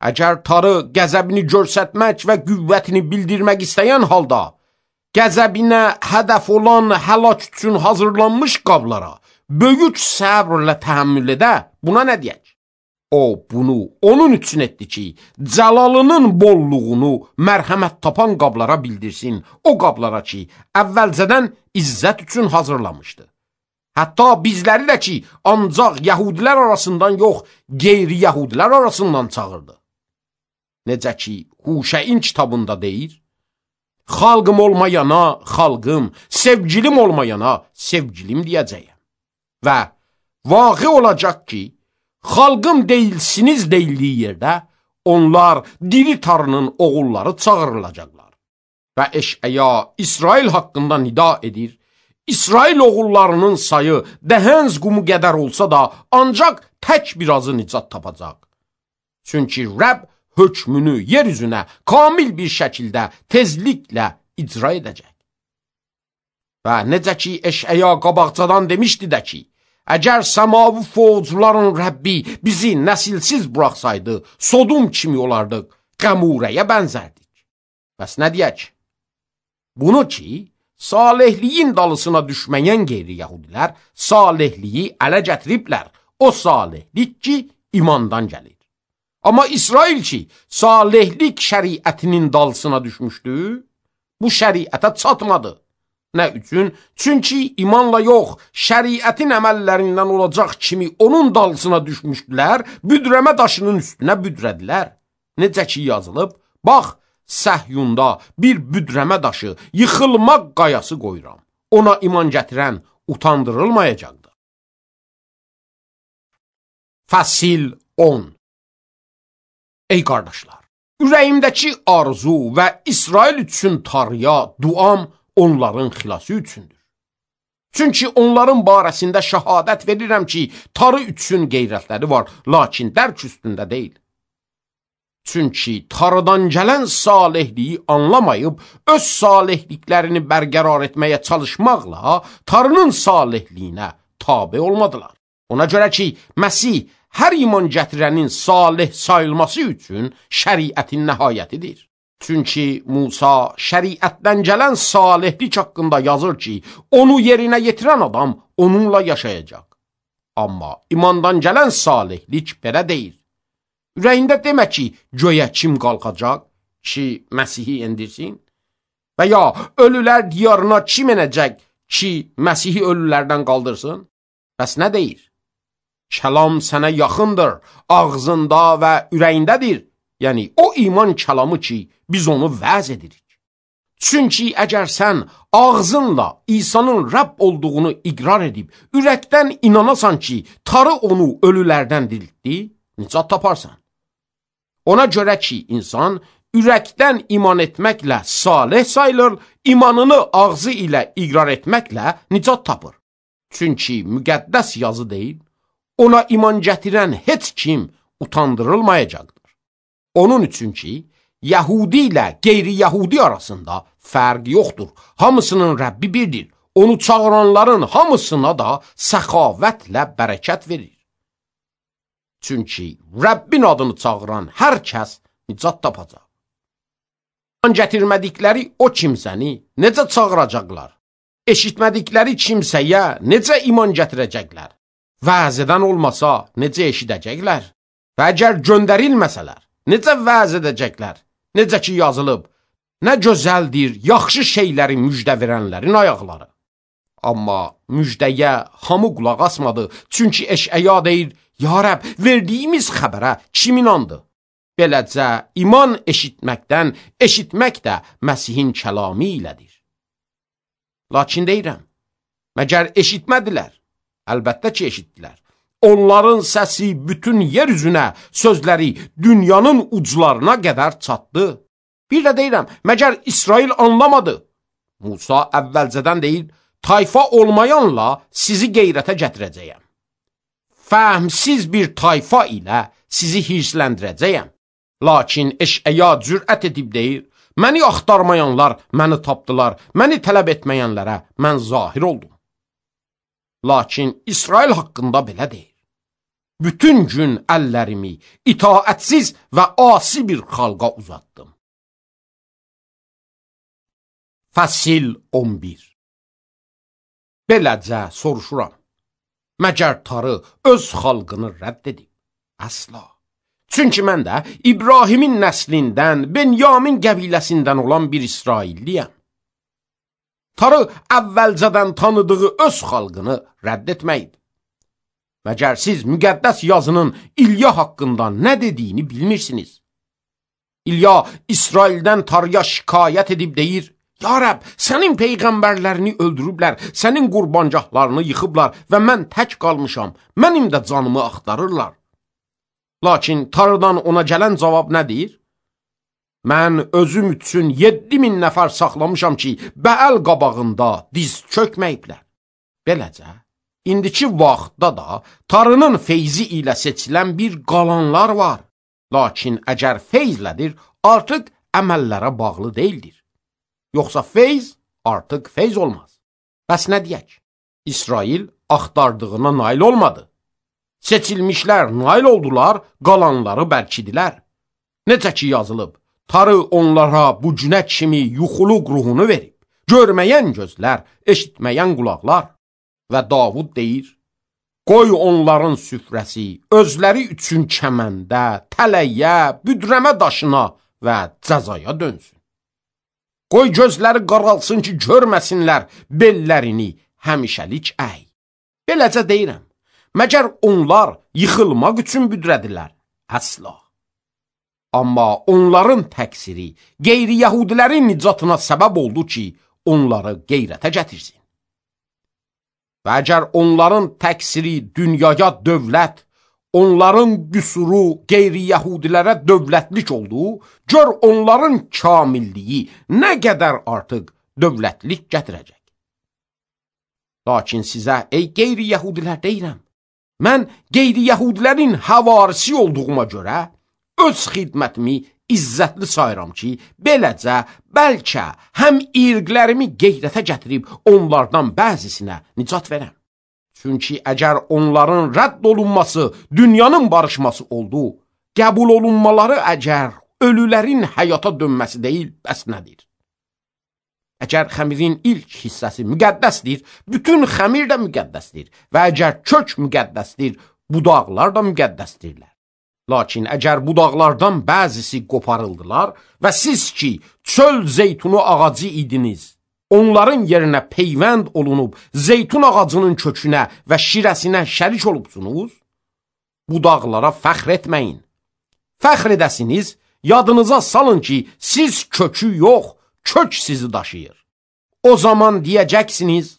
Əgər Tanrı qəzəbini göstərmək və qüvvətini bildirmək istəyən halda, qəzəbinə hədəf olan həlak üçün hazırlanmış qablara böyük səbrlə təhəmmül edə, buna nə deyək? O bunu onun üçün etdi ki, cəlalının bolluğunu mərhəmət tapan qablara bildirsin, o qablara ki, əvvəlcədən izzət üçün hazırlamışdı. Hətta bizləri də ki, ancaq yəhudilər arasından yox, qeyri-yəhudilər arasından çağırdı. Necə ki, Huşəyin kitabında deyir, xalqım olmayana xalqım, sevgilim olmayana sevgilim deyəcəyəm. Və vaqe olacaq ki, xalqım deyilsiniz deyildiyi yerdə, onlar diri tarının oğulları çağırılacaqlar. Və Eşəya İsrail haqqında nida edir, İsrail oğullarının sayı dəhənz qumu qədər olsa da, ancaq tək birazı nicat tapacaq. Çünki Rəbb hökmünü yer üzünə kamil bir şəkildə tezliklə icra edəcək. Və necə ki, Eşəya qabaqcadan demişdi də ki, əgər səmavi fovcuların Rəbbi bizi nəsilsiz buraxsaydı, Sodum kimi olardıq, Qəmurəyə bənzərdik. Bəs nə deyək? Bunu ki, salihliyin dalısına düşməyən qeyri-yəhudilər salihliyi ələ gətiriblər. O salihlik ki, imandan gəlir. Amma İsrail ki, salihlik şəriətinin dalısına düşmüşdü, bu şəriətə çatmadı. Nə üçün? Çünki imanla yox, şəriətin əməllərindən olacaq kimi onun dalısına düşmüşdülər, büdrəmə daşının üstünə büdrədilər. Necə ki yazılıb, bax, Səhyunda bir büdrəmə daşı, yıxılmaq qayası qoyuram. Ona iman gətirən utandırılmayacaqdır. Fəsil 10. Ey qardaşlar, ürəyimdəki arzu və İsrail üçün tarıya, duam onların xilası üçündür. Çünki onların barəsində şəhadət verirəm ki, tarı üçün qeyrətləri var, lakin dərk üstündə deyil. Çünki tarıdan gələn salihliyi anlamayıb, öz salihliklərini bərqərar etməyə çalışmaqla tarının salihliyinə tabe olmadılar. Ona görə ki, Məsih hər iman gətirənin salih sayılması üçün şəriətin nəhayətidir. Çünki Musa şəriətdən gələn salihlik haqqında yazır ki, onu yerinə yetirən adam onunla yaşayacaq. Amma imandan gələn salihlik belə deyil. Ürəyində demə ki, göyə kim qalxacaq ki, Məsihi endirsin? Və ya ölülər diyarına kim enəcək ki, Məsihi ölülərdən qaldırsın? Bəs nə deyir? Kəlam sənə yaxındır, ağzında və ürəyindədir. Yəni, o iman kəlamı ki, biz onu vəz edirik. Çünki əgər sən ağzınla İsa'nın Rəbb olduğunu iqrar edib, ürəkdən inanasan ki, tarı onu ölülərdən diriltdi, nicat taparsan. Ona görə ki, insan ürəkdən iman etməklə salih sayılır, imanını ağzı ilə iqrar etməklə nicat tapır. Çünki müqəddəs yazı deyil, ona iman gətirən heç kim utandırılmayacaqdır. Onun üçün ki, Yəhudi ilə qeyri-Yəhudi arasında fərq yoxdur. Hamısının Rəbbi birdir. Onu çağıranların hamısına da səxavətlə bərəkət verir. Çünki Rəbbin adını çağıran hər kəs nicat tapacaq. İman gətirmədikləri o kimsəni necə çağıracaqlar? Eşitmədikləri kimsəyə necə iman gətirəcəklər? Vəz edən olmasa necə eşidəcəklər? Və əgər göndərilməsələr, necə vəz edəcəklər? Necə ki yazılıb, nə gözəldir yaxşı şeyləri müjdə verənlərin ayaqları. Amma müjdəyə hamı qulaq asmadı, çünki Eşəya deyir, ya Rəbb, verdiyimiz xəbərə kim inandı? Beləcə, iman eşitməkdən, eşitmək də Məsihin kəlamı ilədir. Lakin deyirəm, məgər eşitmədilər? Əlbəttə ki, eşitdilər. Onların səsi bütün yer üzünə, sözləri dünyanın uclarına qədər çatdı. Bir də deyirəm, məgər İsrail anlamadı? Musa əvvəlcədən deyir, tayfa olmayanla sizi qeyrətə gətirəcəyəm. Fəhmsiz bir tayfa ilə sizi hirsləndirəcəyəm. Lakin Eşəya cürət edib deyir, məni axtarmayanlar məni tapdılar, məni tələb etməyənlərə mən zahir oldum. Lakin İsrail haqqında belə deyir. Bütün gün əllərimi itaətsiz və asi bir xalqa uzatdım. Fəsil 11. Beləcə soruşuram, məgər tarı öz xalqını rədd edib, Əsla. Çünki mən də İbrahimin nəslindən, Benyamin qəbiləsindən olan bir İsrailliyəm. Tarı əvvəlcədən tanıdığı öz xalqını rədd etməkdir. Məgər siz müqəddəs yazının İlya haqqında nə dediyini bilmirsiniz. İlya İsraildən Tarıya şikayət edib deyir, Ya Rəbb, sənin peyğəmbərlərini öldürüblər, sənin qurbancaqlarını yıxıblar və mən tək qalmışam, mənim də canımı axtarırlar. Lakin Tarıdan ona gələn cavab nədir? Mən özüm üçün 7000 nəfər saxlamışam ki, Bəəl qabağında diz çökməyiblər. Beləcə, indiki vaxtda da Tarının feyzi ilə seçilən bir qalanlar var. Lakin əgər feyzlədir, artıq əməllərə bağlı deyildir. Yoxsa feyz artıq feyz olmaz. Bəs nə deyək? İsrail axtardığına nail olmadı. Seçilmişlər nail oldular, qalanları bərkidilər. Necə ki yazılıb, Tarı onlara bu günə kimi yuxuluq ruhunu verib, görməyən gözlər, eşitməyən qulaqlar. Və Davud deyir, qoy onların süfrəsi özləri üçün kəməndə, tələyə, büdrəmə daşına və cəzaya dönsün. Qoy gözləri qaralsın ki, görməsinlər bellərini həmişəlik əy. Beləcə deyirəm, məgər onlar yıxılmaq üçün büdrədilər? Əsla. Amma onların təqsiri qeyri-yəhudilərin nicatına səbəb oldu ki, onları qeyrətə gətirsin. Və əgər onların təqsiri dünyaya dövlət, onların qüsuru qeyri-yəhudilərə dövlətlik oldu, gör onların kamilliyi nə qədər artıq dövlətlik gətirəcək. Lakin sizə, ey qeyri-yəhudilər deyirəm, mən qeyri-yəhudilərin həvarisi olduğuma görə öz xidmətimi izzətli sayıram ki, beləcə bəlkə həm irqlərimi qeyrətə gətirib onlardan bəzisinə nicat verəm. Çünki əgər onların rədd olunması dünyanın barışması oldu, qəbul olunmaları əgər ölülərin həyata dönməsi deyil, bəs nədir? Əgər xəmirin ilk hissəsi müqəddəsdir, bütün xəmir də müqəddəsdir və əgər kök müqəddəsdir, budaqlar da müqəddəsdirlər. Lakin əgər budaqlardan bəzisi qoparıldılar və siz ki, çöl zeytunu ağacı idiniz, onların yerinə peyvənd olunub zeytun ağacının kökünə və şirəsinə şərik olubsunuz, budaqlara fəxr etməyin. Fəxr edəsiniz, yadınıza salın ki, siz kökü yox, kök sizi daşıyır. O zaman deyəcəksiniz,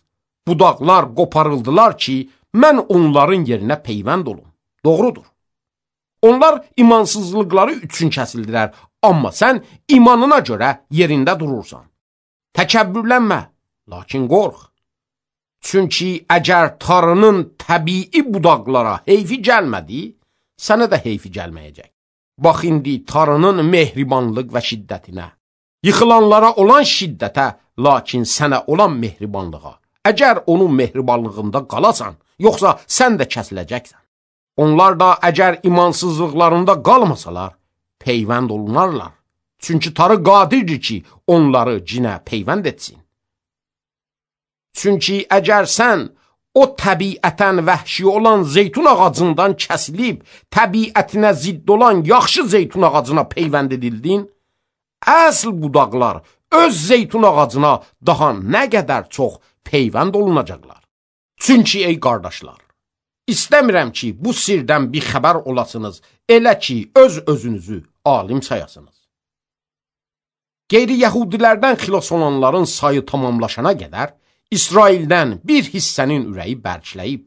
budaqlar qoparıldılar ki, mən onların yerinə peyvənd olum. Doğrudur. Onlar imansızlıqları üçün kəsildilər, amma sən imanına görə yerində durursan. Təkəbbürlənmə, lakin qorx. Çünki əgər Tarının təbii budaqlara heyfi gəlmədi, sənə də heyfi gəlməyəcək. Bax indi Tarının mehribanlıq və şiddətinə, yıxılanlara olan şiddətə, lakin sənə olan mehribanlığa. Əgər onun mehribanlığında qalasan, yoxsa sən də kəsiləcəksən. Onlar da əgər imansızlıqlarında qalmasalar, peyvənd olunarlar. Çünki Tarı qadirdir ki, onları cinə peyvənd etsin. Çünki əgər sən o təbiətən vəhşi olan zeytun ağacından kəsilib, təbiətinə zidd olan yaxşı zeytun ağacına peyvənd edildin, əsl budaqlar öz zeytun ağacına daha nə qədər çox peyvənd olunacaqlar. Çünki ey qardaşlar, İstəmirəm ki, bu sirdən bir xəbər olasınız, elə ki, öz-özünüzü alim sayasınız. Qeyri-yəhudilərdən xilas olanların sayı tamamlaşana qədər, İsraildən bir hissənin ürəyi bərkləyib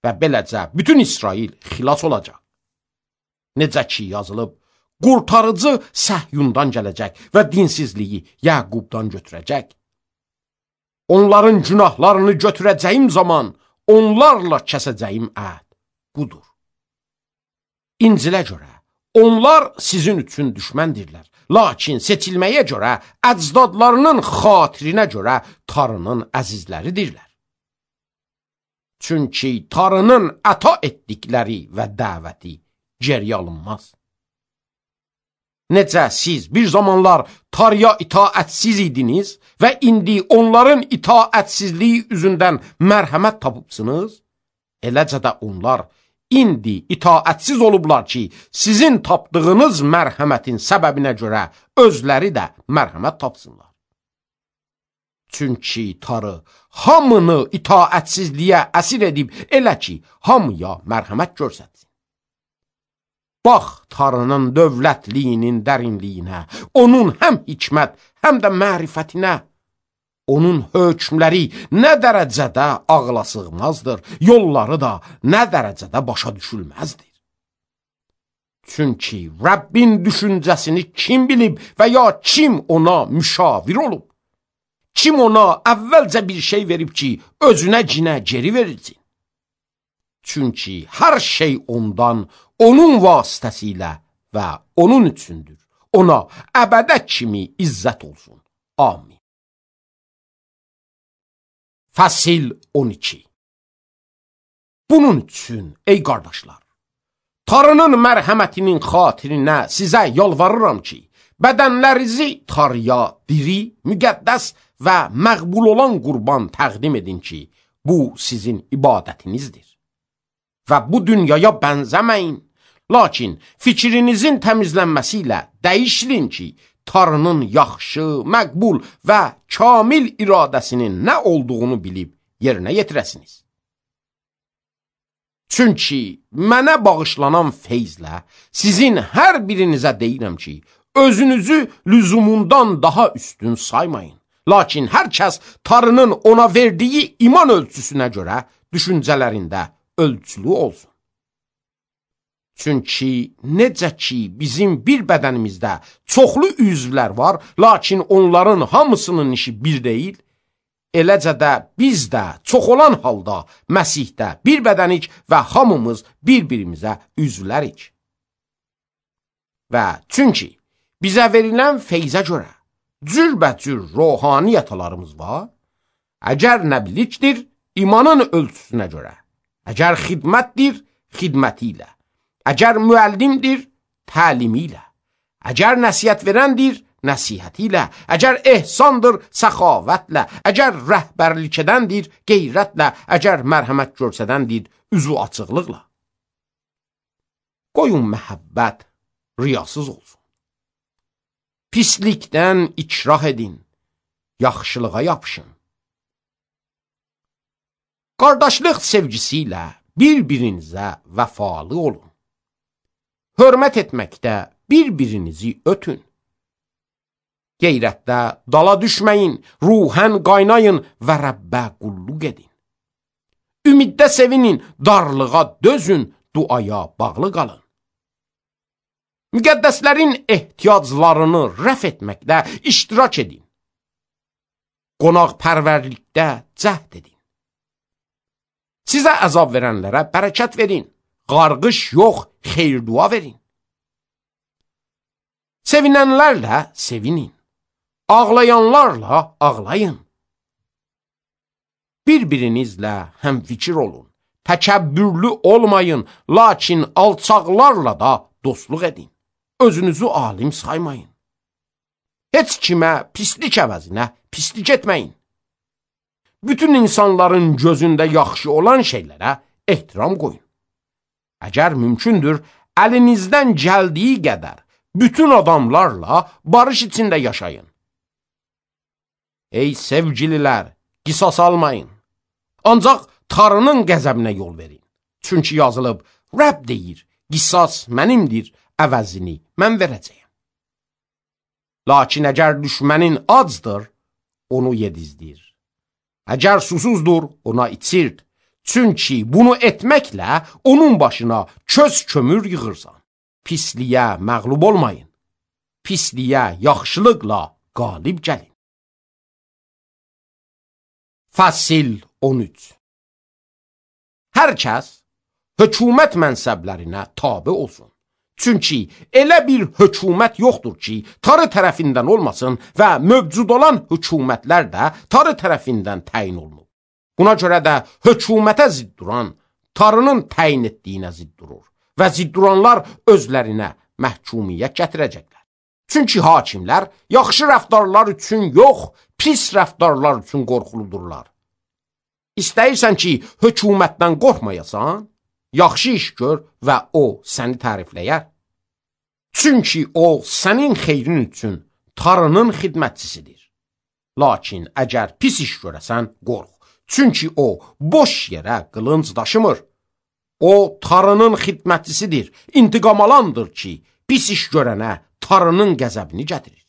və beləcə bütün İsrail xilas olacaq. Necə ki yazılıb, qurtarıcı Səhyundan gələcək və dinsizliyi Yəqubdan götürəcək. Onların günahlarını götürəcəyim zaman, onlarla kəsəcəyim əhd budur. İncilə görə, onlar sizin üçün düşməndirlər. Lakin seçilməyə görə, əcdadlarının xatirinə görə Tarının əzizləridirlər. Çünki Tarının əta etdikləri və dəvəti geriyə alınmaz. Necə siz bir zamanlar Tarıya itaətsiz idiniz və indi onların itaətsizliyi üzündən mərhəmət tapıbsınız, eləcə də onlar indi itaətsiz olublar ki, sizin tapdığınız mərhəmətin səbəbinə görə özləri də mərhəmət tapsınlar. Çünki tarı hamını itaətsizliyə əsir edib elə ki, hamıya mərhəmət görsətsin. Bax, tarının dövlətliyinin dərinliyinə, onun həm hikmət, həm də mərifətinə. Onun hökmləri nə dərəcədə ağla sığmazdır, yolları da nə dərəcədə başa düşülməzdir. Çünki Rəbbin düşüncəsini kim bilib və ya kim ona müşavir olub? Kim ona əvvəlcə bir şey verib ki, özünə cinə geri verilsin? Çünki hər şey ondan, onun vasitəsilə və onun üçündür. Ona əbədə kimi izzət olsun. Amin. Fəsil 12. Bunun üçün, ey qardaşlar, Tanrının mərhəmətinin xatirinə sizə yalvarıram ki, bədənlərinizi Tanrıya diri, müqəddəs və məqbul olan qurban təqdim edin ki, bu sizin ibadətinizdir. Və bu dünyaya bənzəməyin, lakin fikrinizin təmizlənməsi ilə dəyişilin ki, Tanrının yaxşı, məqbul və kamil iradəsinin nə olduğunu bilib yerinə yetirəsiniz. Çünki mənə bağışlanan feyzlə sizin hər birinizə deyirəm ki, özünüzü lüzumundan daha üstün saymayın. Lakin hər kəs Tanrının ona verdiyi iman ölçüsünə görə düşüncələrində ölçülü olsun. Çünki necə ki bizim bir bədənimizdə çoxlu üzvlər var, lakin onların hamısının işi bir deyil, eləcə də biz də çox olan halda Məsihdə bir bədənik və hamımız bir-birimizə üzvlərik. Və çünki bizə verilən feyzə görə cürbəcür ruhani yatalarımız var, əgər nəbilikdir, imanın ölçüsünə görə, əgər xidmətdir, xidməti ilə, əgər müəllimdir, təlimi ilə, əgər nəsihət verəndir, nəsihəti ilə, əgər ehsandır, səxavətlə, əgər rəhbərlik edəndir, qeyrətlə, əgər mərhəmət görsədəndir, üzü açıqlıqla. Qoyun məhəbbət riyasız olsun. Pislikdən ikrah edin, yaxşılığa yapışın. Qardaşlıq sevgisi ilə bir-birinizə vəfalı olun. Hörmət etməkdə bir-birinizi ötün. Qeyrətdə dala düşməyin, ruhən qaynayın və Rəbbə qulluq edin. Ümiddə sevinin, darlığa dözün, duaya bağlı qalın. Müqəddəslərin ehtiyaclarını rəf etməkdə iştirak edin. Qonaqpərvərlikdə cəhd edin. Sizə əzab verənlərə bərəkət verin, qarğış yox, xeyir-dua verin. Sevinənlərlə sevinin, ağlayanlarla ağlayın. Bir-birinizlə həmfikir olun, təkəbbürlü olmayın, lakin alçaqlarla da dostluq edin. Özünüzü alim saymayın. Heç kimə pislik əvəzinə pislik etməyin. Bütün insanların gözündə yaxşı olan şeylərə ehtiram qoyun. Əgər mümkündür, əlinizdən gəldiyi qədər bütün adamlarla barış içində yaşayın. Ey sevgililər, qisas almayın. Ancaq Tanrının qəzəbinə yol verin. Çünki yazılıb, Rəbb deyir, qisas mənimdir, əvəzini mən verəcəyəm. Lakin əgər düşmənin acdır, onu yedizdir. Əgər susuzdur, ona içirt. Çünki bunu etməklə onun başına köz kömür yığırsan. Pisliyə məğlub olmayın. Pisliyə yaxşılıqla qalib gəlin. Fəsil 13. Hər kəs hökumət mənsəblərinə tabe olsun. Çünki elə bir hökumət yoxdur ki, Tanrı tərəfindən olmasın və mövcud olan hökumətlər də Tanrı tərəfindən təyin olunur. Buna görə də hökumətə zidd duran Tanrının təyin etdiyinə zidd durur və zidd duranlar özlərinə məhkumiyyət gətirəcəklər. Çünki hakimlər yaxşı rəftarlar üçün yox, pis rəftarlar üçün qorxuludurlar. İstəyirsən ki, hökumətdən qorxmayasan? yaxşı iş gör və o səni tərifləyər. Çünki o sənin xeyrin üçün Tanrının xidmətçisidir. Lakin əgər pis iş görəsən, qorx. Çünki o boş yerə qılınc daşımır. O Tanrının xidmətçisidir, intiqam alandır ki, pis iş görənə Tanrının qəzəbini gətirir.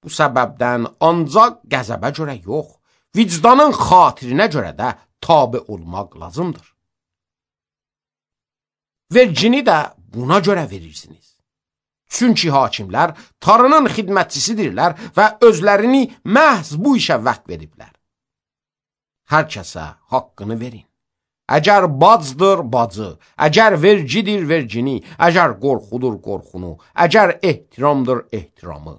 Bu səbəbdən ancaq qəzəbə görə yox, vicdanın xatirinə görə də tabe olmaq lazımdır. Vergini də buna görə verirsiniz. Çünki hakimlər Tanrının xidmətçisidirlər və özlərini məhz bu işə vəqf veriblər. Hər kəsə haqqını verin. Əgər bacdır bacı, əgər vergidir vergini, əgər qorxudur qorxunu, əgər ehtiramdır ehtiramı.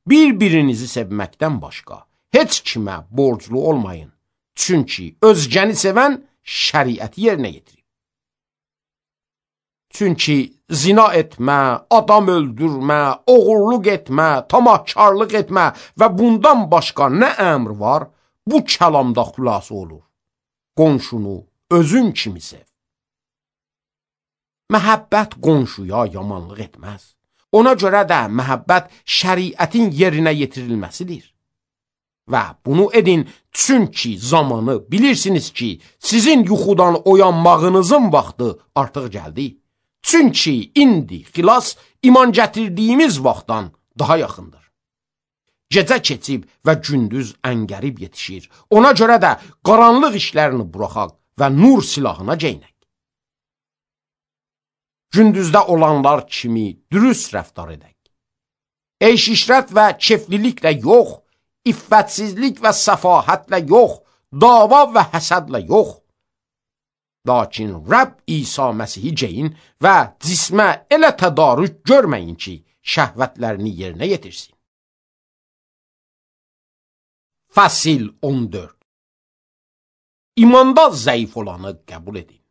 Bir-birinizi sevməkdən başqa heç kimə borclu olmayın. Çünki özgəni sevən şəriəti yerinə yetirir. Çünki zina etmə, adam öldürmə, oğurluq etmə, tamahkarlıq etmə və bundan başqa nə əmr var, bu kəlamda xülasə olur. Qonşunu özün kimi sev. Məhəbbət qonşuya yamanlıq etməz. Ona görə də məhəbbət şəriətin yerinə yetirilməsidir. Və bunu edin, çünki zamanı bilirsiniz ki, sizin yuxudan oyanmağınızın vaxtı artıq gəldi. Çünki indi xilas iman gətirdiyimiz vaxtdan daha yaxındır. Gecə keçib və gündüz əngərib yetişir. Ona görə də qaranlıq işlərini buraxaq və nur silahına geynək. Gündüzdə olanlar kimi dürüst rəftar edək. Eyş-işrət və kefliliklə yox, iffətsizlik və səfahətlə yox, dava və həsədlə yox. Lakin Rəbb İsa Məsihi geyin və cismə elə tədarük görməyin ki, şəhvətlərini yerinə yetirsin. Fəsil 14. İmanda zəif olanı qəbul edin.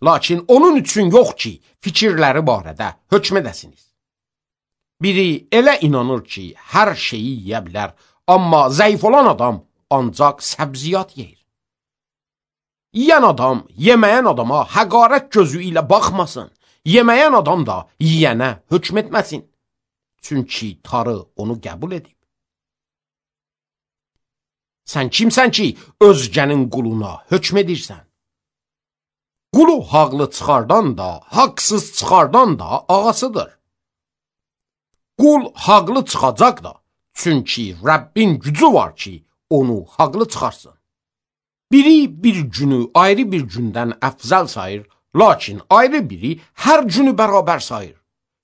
Lakin onun üçün yox ki, fikirləri barədə hökm edəsiniz. Biri elə inanır ki, hər şeyi yeyə bilər, amma zəif olan adam ancaq səbziyat yeyir. Yiyən adam yeməyən adama həqarət gözü ilə baxmasın, yeməyən adam da yiyənə hökm etməsin. Çünki Tanrı onu qəbul edib. Sən kimsən ki, özgənin quluna hökm edirsən? Qulu haqlı çıxardan da, haqsız çıxardan da ağasıdır. Qul haqlı çıxacaq da, çünki Rəbbin gücü var ki, onu haqlı çıxarsın. Biri bir günü ayrı bir gündən əfzəl sayır, lakin ayrı biri hər günü bərabər sayır.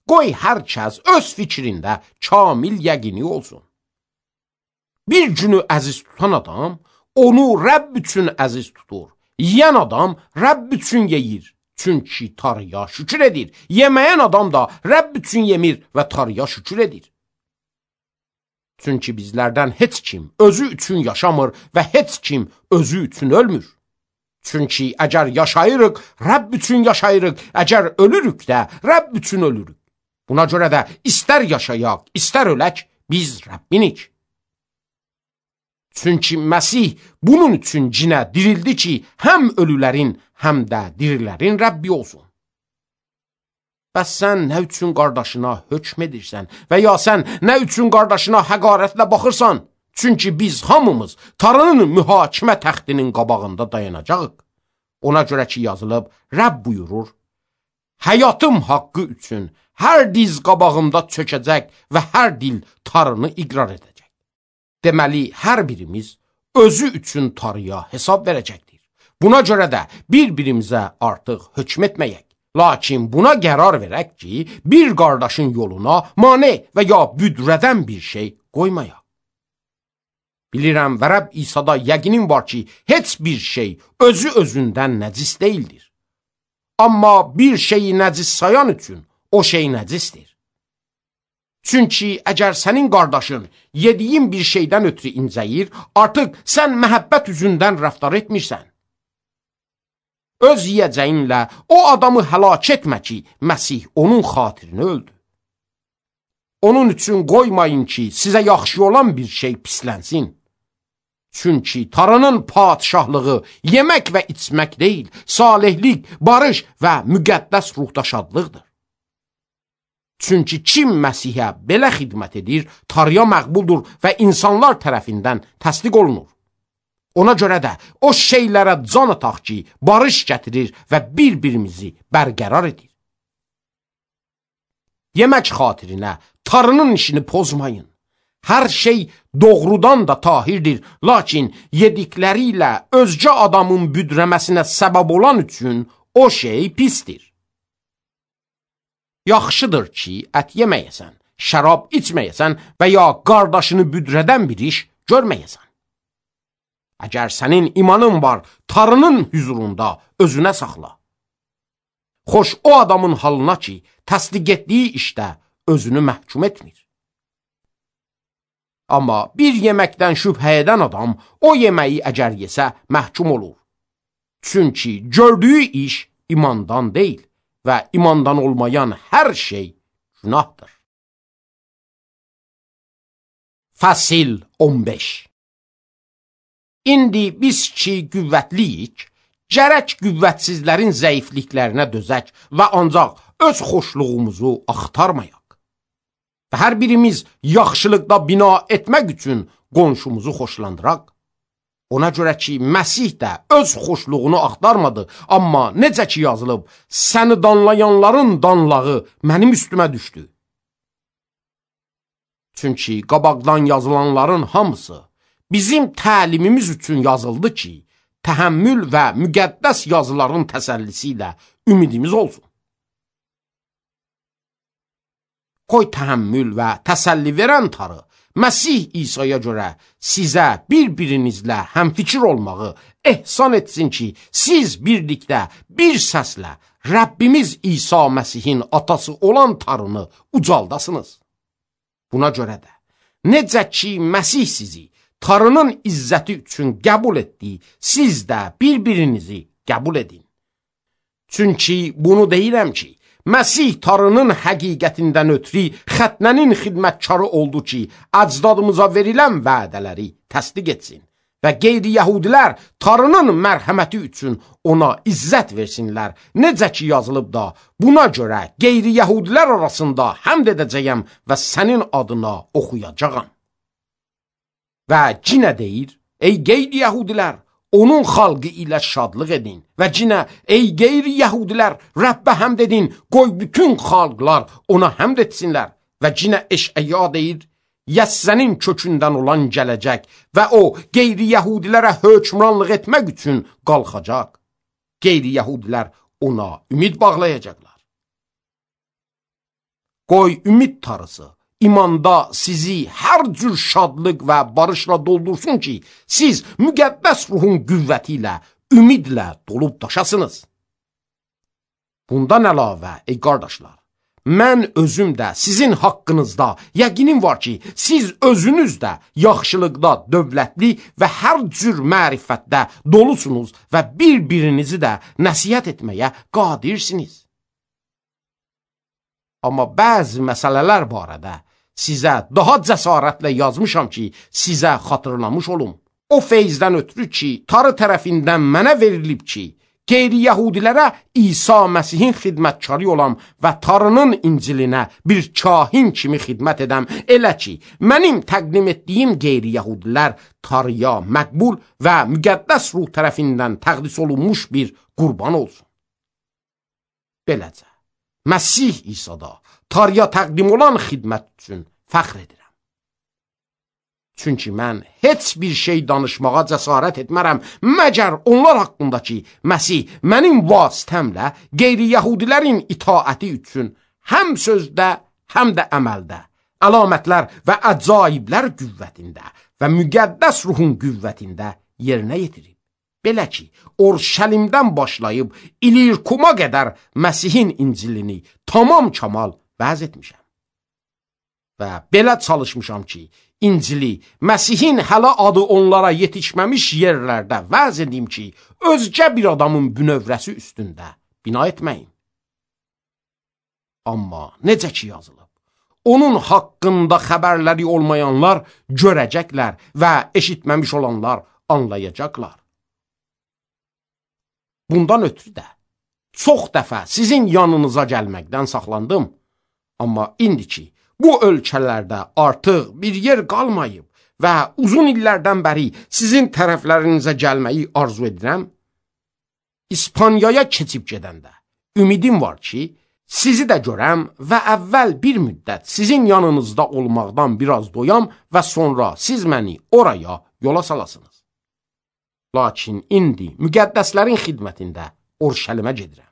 Qoy hər kəs öz fikrində kamil yəqini olsun. Bir günü əziz tutan adam, onu Rəbb üçün əziz tutur. Yiyən adam Rəbb üçün yeyir, çünki Tanrıya şükür edir. Yeməyən adam da Rəbb üçün yemir və Tanrıya şükür edir. Çünki bizlərdən heç kim özü üçün yaşamır və heç kim özü üçün ölmür. Çünki əgər yaşayırıq, Rəbb üçün yaşayırıq, əgər ölürük də, Rəbb üçün ölürük. Buna görə də istər yaşayaq, istər ölək, biz Rəbbinik. Çünki Məsih bunun üçün cinə dirildi ki, həm ölülərin, həm də dirilərin Rəbbi olsun. Bəs sən nə üçün qardaşına hökm edirsən və ya sən nə üçün qardaşına həqarətlə baxırsan? Çünki biz hamımız Tanrının mühakimə təxtinin qabağında dayanacağıq. Ona görə ki yazılıb, Rəbb buyurur, həyatım haqqı üçün hər diz qabağımda çökəcək və hər dil Tanrını iqrar edəcək. Deməli, hər birimiz özü üçün Tanrıya hesab verəcəkdir. Buna görə də bir-birimizə artıq hökm etməyək. Lakin buna qərar verək ki, bir qardaşın yoluna mane və ya büdrədən bir şey qoymayaq. Bilirəm və Rəbb İsa'da yəqinim var ki, heç bir şey özü özündən nəcis deyildir. Amma bir şeyi nəcis sayan üçün o şey nəcisdir. Çünki əgər sənin qardaşın yediyin bir şeydən ötürü incəyir, artıq sən məhəbbət üzündən rəftar etmirsən. Öz yiyəcəyinlə o adamı həlak etmə ki, Məsih onun xatirini öldü. Onun üçün qoymayın ki, sizə yaxşı olan bir şey pislənsin. Çünki Tanrının padişahlığı yemək və içmək deyil, salihlik, barış və müqəddəs ruhda şadlıqdır. Çünki kim Məsihə belə xidmət edir, Tanrıya məqbuldur və insanlar tərəfindən təsdiq olunur. Ona görə də o şeylərə can ataq ki, barış gətirir və bir-birimizi bərqərar edir. Yemək xatirinə Tanrının işini pozmayın. Hər şey doğrudan da tahirdir, lakin yedikləri ilə özgə adamın büdrəməsinə səbəb olan üçün o şey pisdir. Yaxşıdır ki, ət yeməyəsən, şərab içməyəsən və ya qardaşını büdrədən bir iş görməyəsən. Əgər sənin imanın var, Tanrının hüzurunda özünə saxla. Xoş o adamın halına ki, təsdiq etdiyi işdə özünü məhkum etmir. Amma bir yeməkdən şübhə edən adam o yeməyi əgər yesə məhkum olur. Çünki gördüyü iş imandan deyil və imandan olmayan hər şey günahdır. Fəsil 15. İndi biz ki qüvvətliyik, gərək qüvvətsizlərin zəifliklərinə dözək və ancaq öz xoşluğumuzu axtarmayaq. Və hər birimiz yaxşılıqda bina etmək üçün qonşumuzu xoşlandıraq. Ona görə ki, Məsih də öz xoşluğunu axtarmadı, amma necə ki yazılıb, səni danlayanların danlağı mənim üstümə düşdü. Çünki qabaqdan yazılanların hamısı bizim təlimimiz üçün yazıldı ki, təhəmmül və müqəddəs yazıların təsəllisi ilə ümidimiz olsun. Qoy təhəmmül və təsəlli verən Tanrı, Məsih İsa'ya görə sizə bir-birinizlə həmfikir olmağı ehsan etsin ki, siz birlikdə bir səslə Rəbbimiz İsa Məsihin atası olan Tanrını ucaldasınız. Buna görə də, necə ki Məsih sizi Tanrının izzəti üçün qəbul etdi, siz də bir-birinizi qəbul edin. Çünki bunu deyirəm ki, Məsih Tanrının həqiqətindən ötürü xətnənin xidmətkarı oldu ki, əcdadımıza verilən vədələri təsdiq etsin və qeyri-yəhudilər Tanrının mərhəməti üçün ona izzət versinlər. Necə ki yazılıb da, buna görə qeyri-yəhudilər arasında həmd edəcəyəm və sənin adına oxuyacağam. Və cinə deyir, ey qeyri-yəhudilər, onun xalqı ilə şadlıq edin və cinə, ey qeyri-yəhudilər, Rəbbə həmd edin, qoy bütün xalqlar ona həmd etsinlər. Və cinə Eşəya deyir, Yəssənin kökündən olan gələcək və o qeyri-yəhudilərə hökmranlıq etmək üçün qalxacaq. Qeyri-yəhudilər ona ümid bağlayacaqlar. Qoy ümid tarısı İmanda sizi hər cür şadlıq və barışla doldursun ki, siz müqəddəs ruhun qüvvəti ilə, ümidlə dolub daşasınız. Bundan əlavə, ey qardaşlar, mən özüm də sizin haqqınızda yəqinim var ki, siz özünüz də yaxşılıqda dövlətli və hər cür mərifətdə dolusunuz və bir-birinizi də nəsihət etməyə qadirsiniz. Amma bəzi məsələlər barədə sizə daha cəsarətlə yazmışam ki, sizə xatırlamış olum. O feyzdən ötürü ki, Tanrı tərəfindən mənə verilib ki, qeyri-yəhudilərə İsa Məsihin xidmətkarı olam və Tanrının İncilinə bir kahin kimi xidmət edəm, elə ki, mənim təqdim etdiyim qeyri-yəhudilər Tanrıya məqbul və müqəddəs ruh tərəfindən təqdis olunmuş bir qurban olsun. Beləcə, Məsih İsa'da Tanrıya təqdim olan xidmət üçün fəxr edirəm. Çünki mən heç bir şey danışmağa cəsarət etmərəm, məgər onlar haqqındakı Məsih mənim vasitəmlə qeyri-yəhudilərin itaəti üçün həm sözdə, həm də əməldə, əlamətlər və əcaiblər qüvvətində və müqəddəs ruhun qüvvətində yerinə yetirib. Belə ki, Orşəlimdən başlayıb İlirkuma qədər Məsihin İncilini tamam kamal vəz etmişəm. Və belə çalışmışam ki, İncili Məsihin hələ adı onlara yetişməmiş yerlərdə vəz edim ki, özgə bir adamın bünövrəsi üstündə bina etməyin. Amma necə ki yazılıb, onun haqqında xəbərləri olmayanlar görəcəklər və eşitməmiş olanlar anlayacaqlar. Bundan ötürü də çox dəfə sizin yanınıza gəlməkdən saxlandım. Amma indiki bu ölkələrdə artıq bir yer qalmayıb və uzun illərdən bəri sizin tərəflərinizə gəlməyi arzu edirəm. İspaniyaya keçib gedəndə ümidim var ki, sizi də görəm və əvvəl bir müddət sizin yanınızda olmaqdan biraz doyam və sonra siz məni oraya yola salasınız. Lakin indi müqəddəslərin xidmətində Urşəlimə gedirəm.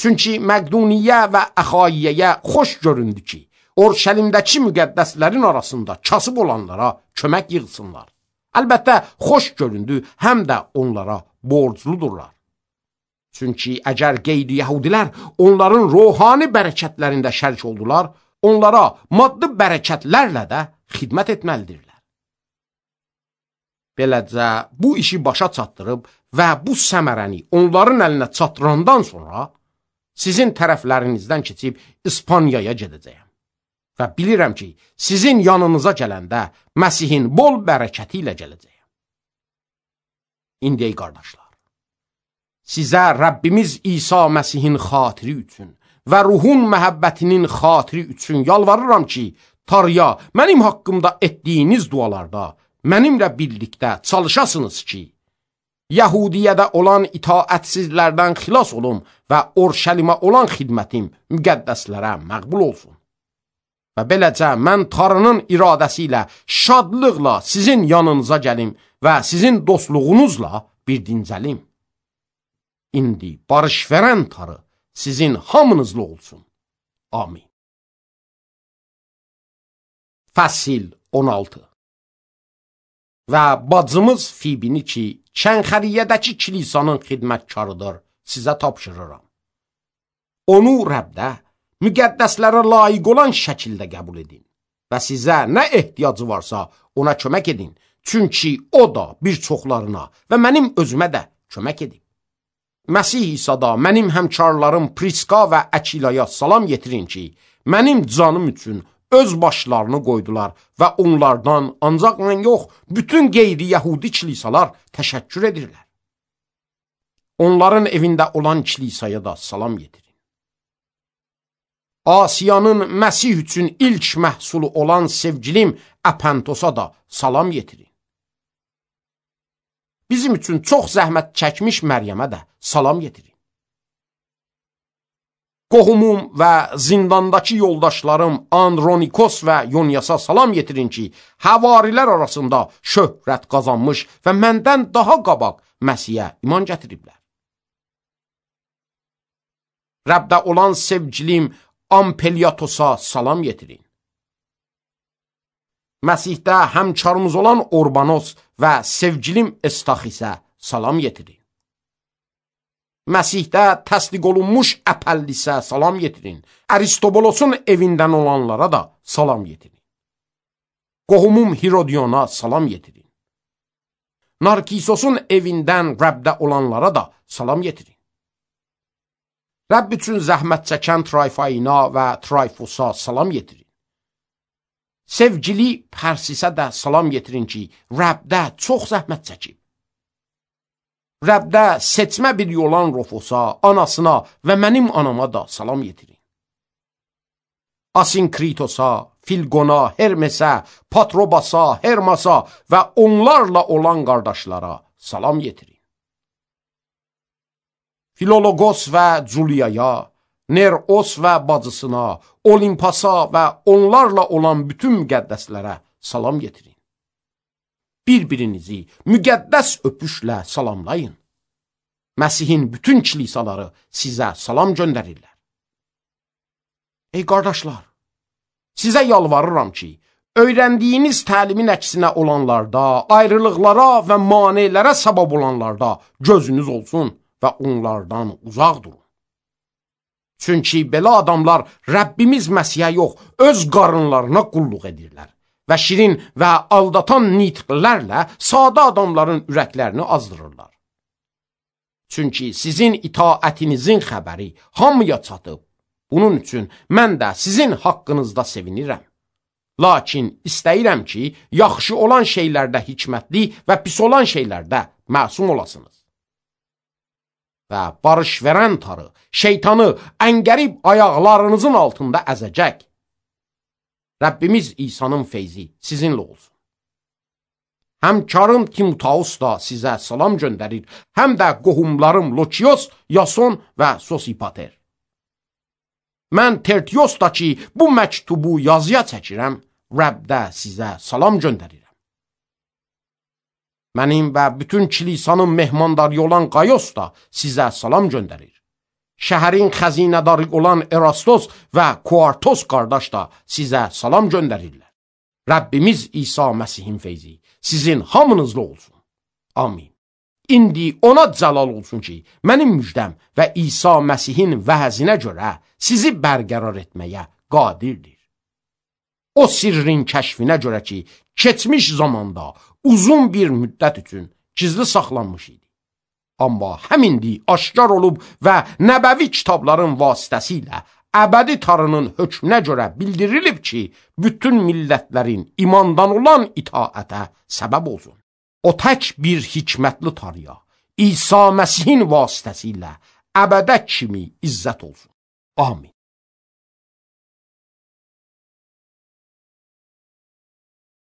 Çünki Məqduniyə və Əxayiyyəyə xoş göründü ki, Urşəlimdəki müqəddəslərin arasında kasıb olanlara kömək yığsınlar. Əlbəttə, xoş göründü, həm də onlara borcludurlar. Çünki əgər qeyri-yəhudilər onların ruhani bərəkətlərində şərik oldular, onlara maddi bərəkətlərlə də xidmət etməlidirlər. Beləcə, bu işi başa çatdırıb və bu səmərəni onların əlinə çatdırandan sonra sizin tərəflərinizdən keçib İspaniyaya gedəcəyəm. Və bilirəm ki, sizin yanınıza gələndə Məsihin bol bərəkəti ilə gələcəyəm. İndi ey qardaşlar, sizə Rəbbimiz İsa Məsihin xatiri üçün və ruhun məhəbbətinin xatiri üçün yalvarıram ki, Tanrıya mənim haqqımda etdiyiniz dualarda mənimlə birlikdə çalışasınız ki, Yəhudiyyədə olan itaətsizlərdən xilas olum və Urşəlimə olan xidmətim müqəddəslərə məqbul olsun. Və beləcə mən Tanrının iradəsi ilə şadlıqla sizin yanınıza gəlim və sizin dostluğunuzla bir dincəlim. İndi barış verən Tanrı sizin hamınızla olsun. Amin. Fəsil 16. Və bacımız Fibini ki, Kənxəriyyədəki kilisanın xidmətkarıdır, sizə tapşırıram. Onu Rəbdə müqəddəslərə layiq olan şəkildə qəbul edin və sizə nə ehtiyacı varsa ona kömək edin, çünki o da bir çoxlarına və mənim özümə də kömək edin. Məsih İsa'da mənim həmkarlarım Priska və Əkilaya salam yetirin ki, mənim canım üçün öz başlarını qoydular və onlardan ancaq mən yox, bütün qeyri-yəhudi kilisalar təşəkkür edirlər. Onların evində olan kilisaya da salam yetirin. Asiyanın Məsih üçün ilk məhsulu olan sevgilim Əpəntosa da salam yetirin. Bizim üçün çox zəhmət çəkmiş Məryəmə də salam yetirin. Qohumum və zindandakı yoldaşlarım Andronikos və Yonyasa salam yetirin ki, həvarilər arasında şöhrət qazanmış və məndən daha qabaq Məsihə iman gətiriblər. Rəbdə olan sevgilim Ampeliatosa salam yetirin. Məsihdə həmkarımız olan Orbanos və sevgilim Estaxisə salam yetirin. Məsihdə təsdiq olunmuş Əpəllisə salam yetirin. Aristobolosun evindən olanlara da salam yetirin. Qohumum Hirodiyona salam yetirin. Narkisosun evindən Rəbdə olanlara da salam yetirin. Rəbb üçün zəhmət çəkən Trayfayina və Trayfosa salam yetirin. Sevgili Pərsisə də salam yetirin ki, Rəbdə çox zəhmət çəkib. Rəbdə seçmə bir olan Rofosa, anasına və mənim anama da salam yetirin. Asinkritos'a, Filgona, Hermesə, Patrobasa, Hermasa və onlarla olan qardaşlara salam yetirin. Filologos və Culiyaya, Neros və bacısına, Olimpasa və onlarla olan bütün müqəddəslərə salam yetirin. Bir-birinizi müqəddəs öpüşlə salamlayın. Məsihin bütün kilisaları sizə salam göndərirlər. Ey qardaşlar, sizə yalvarıram ki, öyrəndiyiniz təlimin əksinə olanlarda, ayrılıqlara və manelərə səbəb olanlarda gözünüz olsun və onlardan uzaq durun. Çünki belə adamlar Rəbbimiz Məsihə yox, öz qarınlarına qulluq edirlər və şirin və aldatan nitqlərlə sadə adamların ürəklərini azdırırlar. Çünki sizin itaətinizin xəbəri hamıya çatıb, Bunun üçün mən də sizin haqqınızda sevinirəm. Lakin istəyirəm ki, yaxşı olan şeylərdə hikmətli və pis olan şeylərdə məsum olasınız. Və barış verən tarı, şeytanı əngərib ayaqlarınızın altında əzəcək. Rəbbimiz İsa'nın feyzi sizinlə olsun. Həmkarım Timoteus da sizə salam göndərir, həm də qohumlarım Lokios, Yason və Sosipater. Mən Tertiosda ki, bu məktubu yazıya çəkirəm, Rəbdə sizə salam göndərirəm. Mənim və bütün kilisanın mehmandarı olan Qayos da sizə salam göndərir. Şəhərin xəzinədarı olan Erastos və Kuartos qardaş da sizə salam göndərirlər. Rəbbimiz İsa Məsihin feyzi sizin hamınızla olsun. Amin. İndi ona cəlal olsun ki, mənim müjdəm və İsa Məsihin vəzinə görə sizi bərqərar etməyə qadirdir. O sirrin kəşfinə görə ki, keçmiş zamanda uzun bir müddət üçün gizli saxlanmış idi. Amma həmindi aşkar olub və nəbəvi kitabların vasitəsilə əbədi tarının hökmünə görə bildirilib ki, bütün millətlərin imandan olan itaətə səbəb olsun. O tək bir hikmətli tarıya, İsa Məsihin vasitəsilə əbədə kimi izzət olsun. Amin.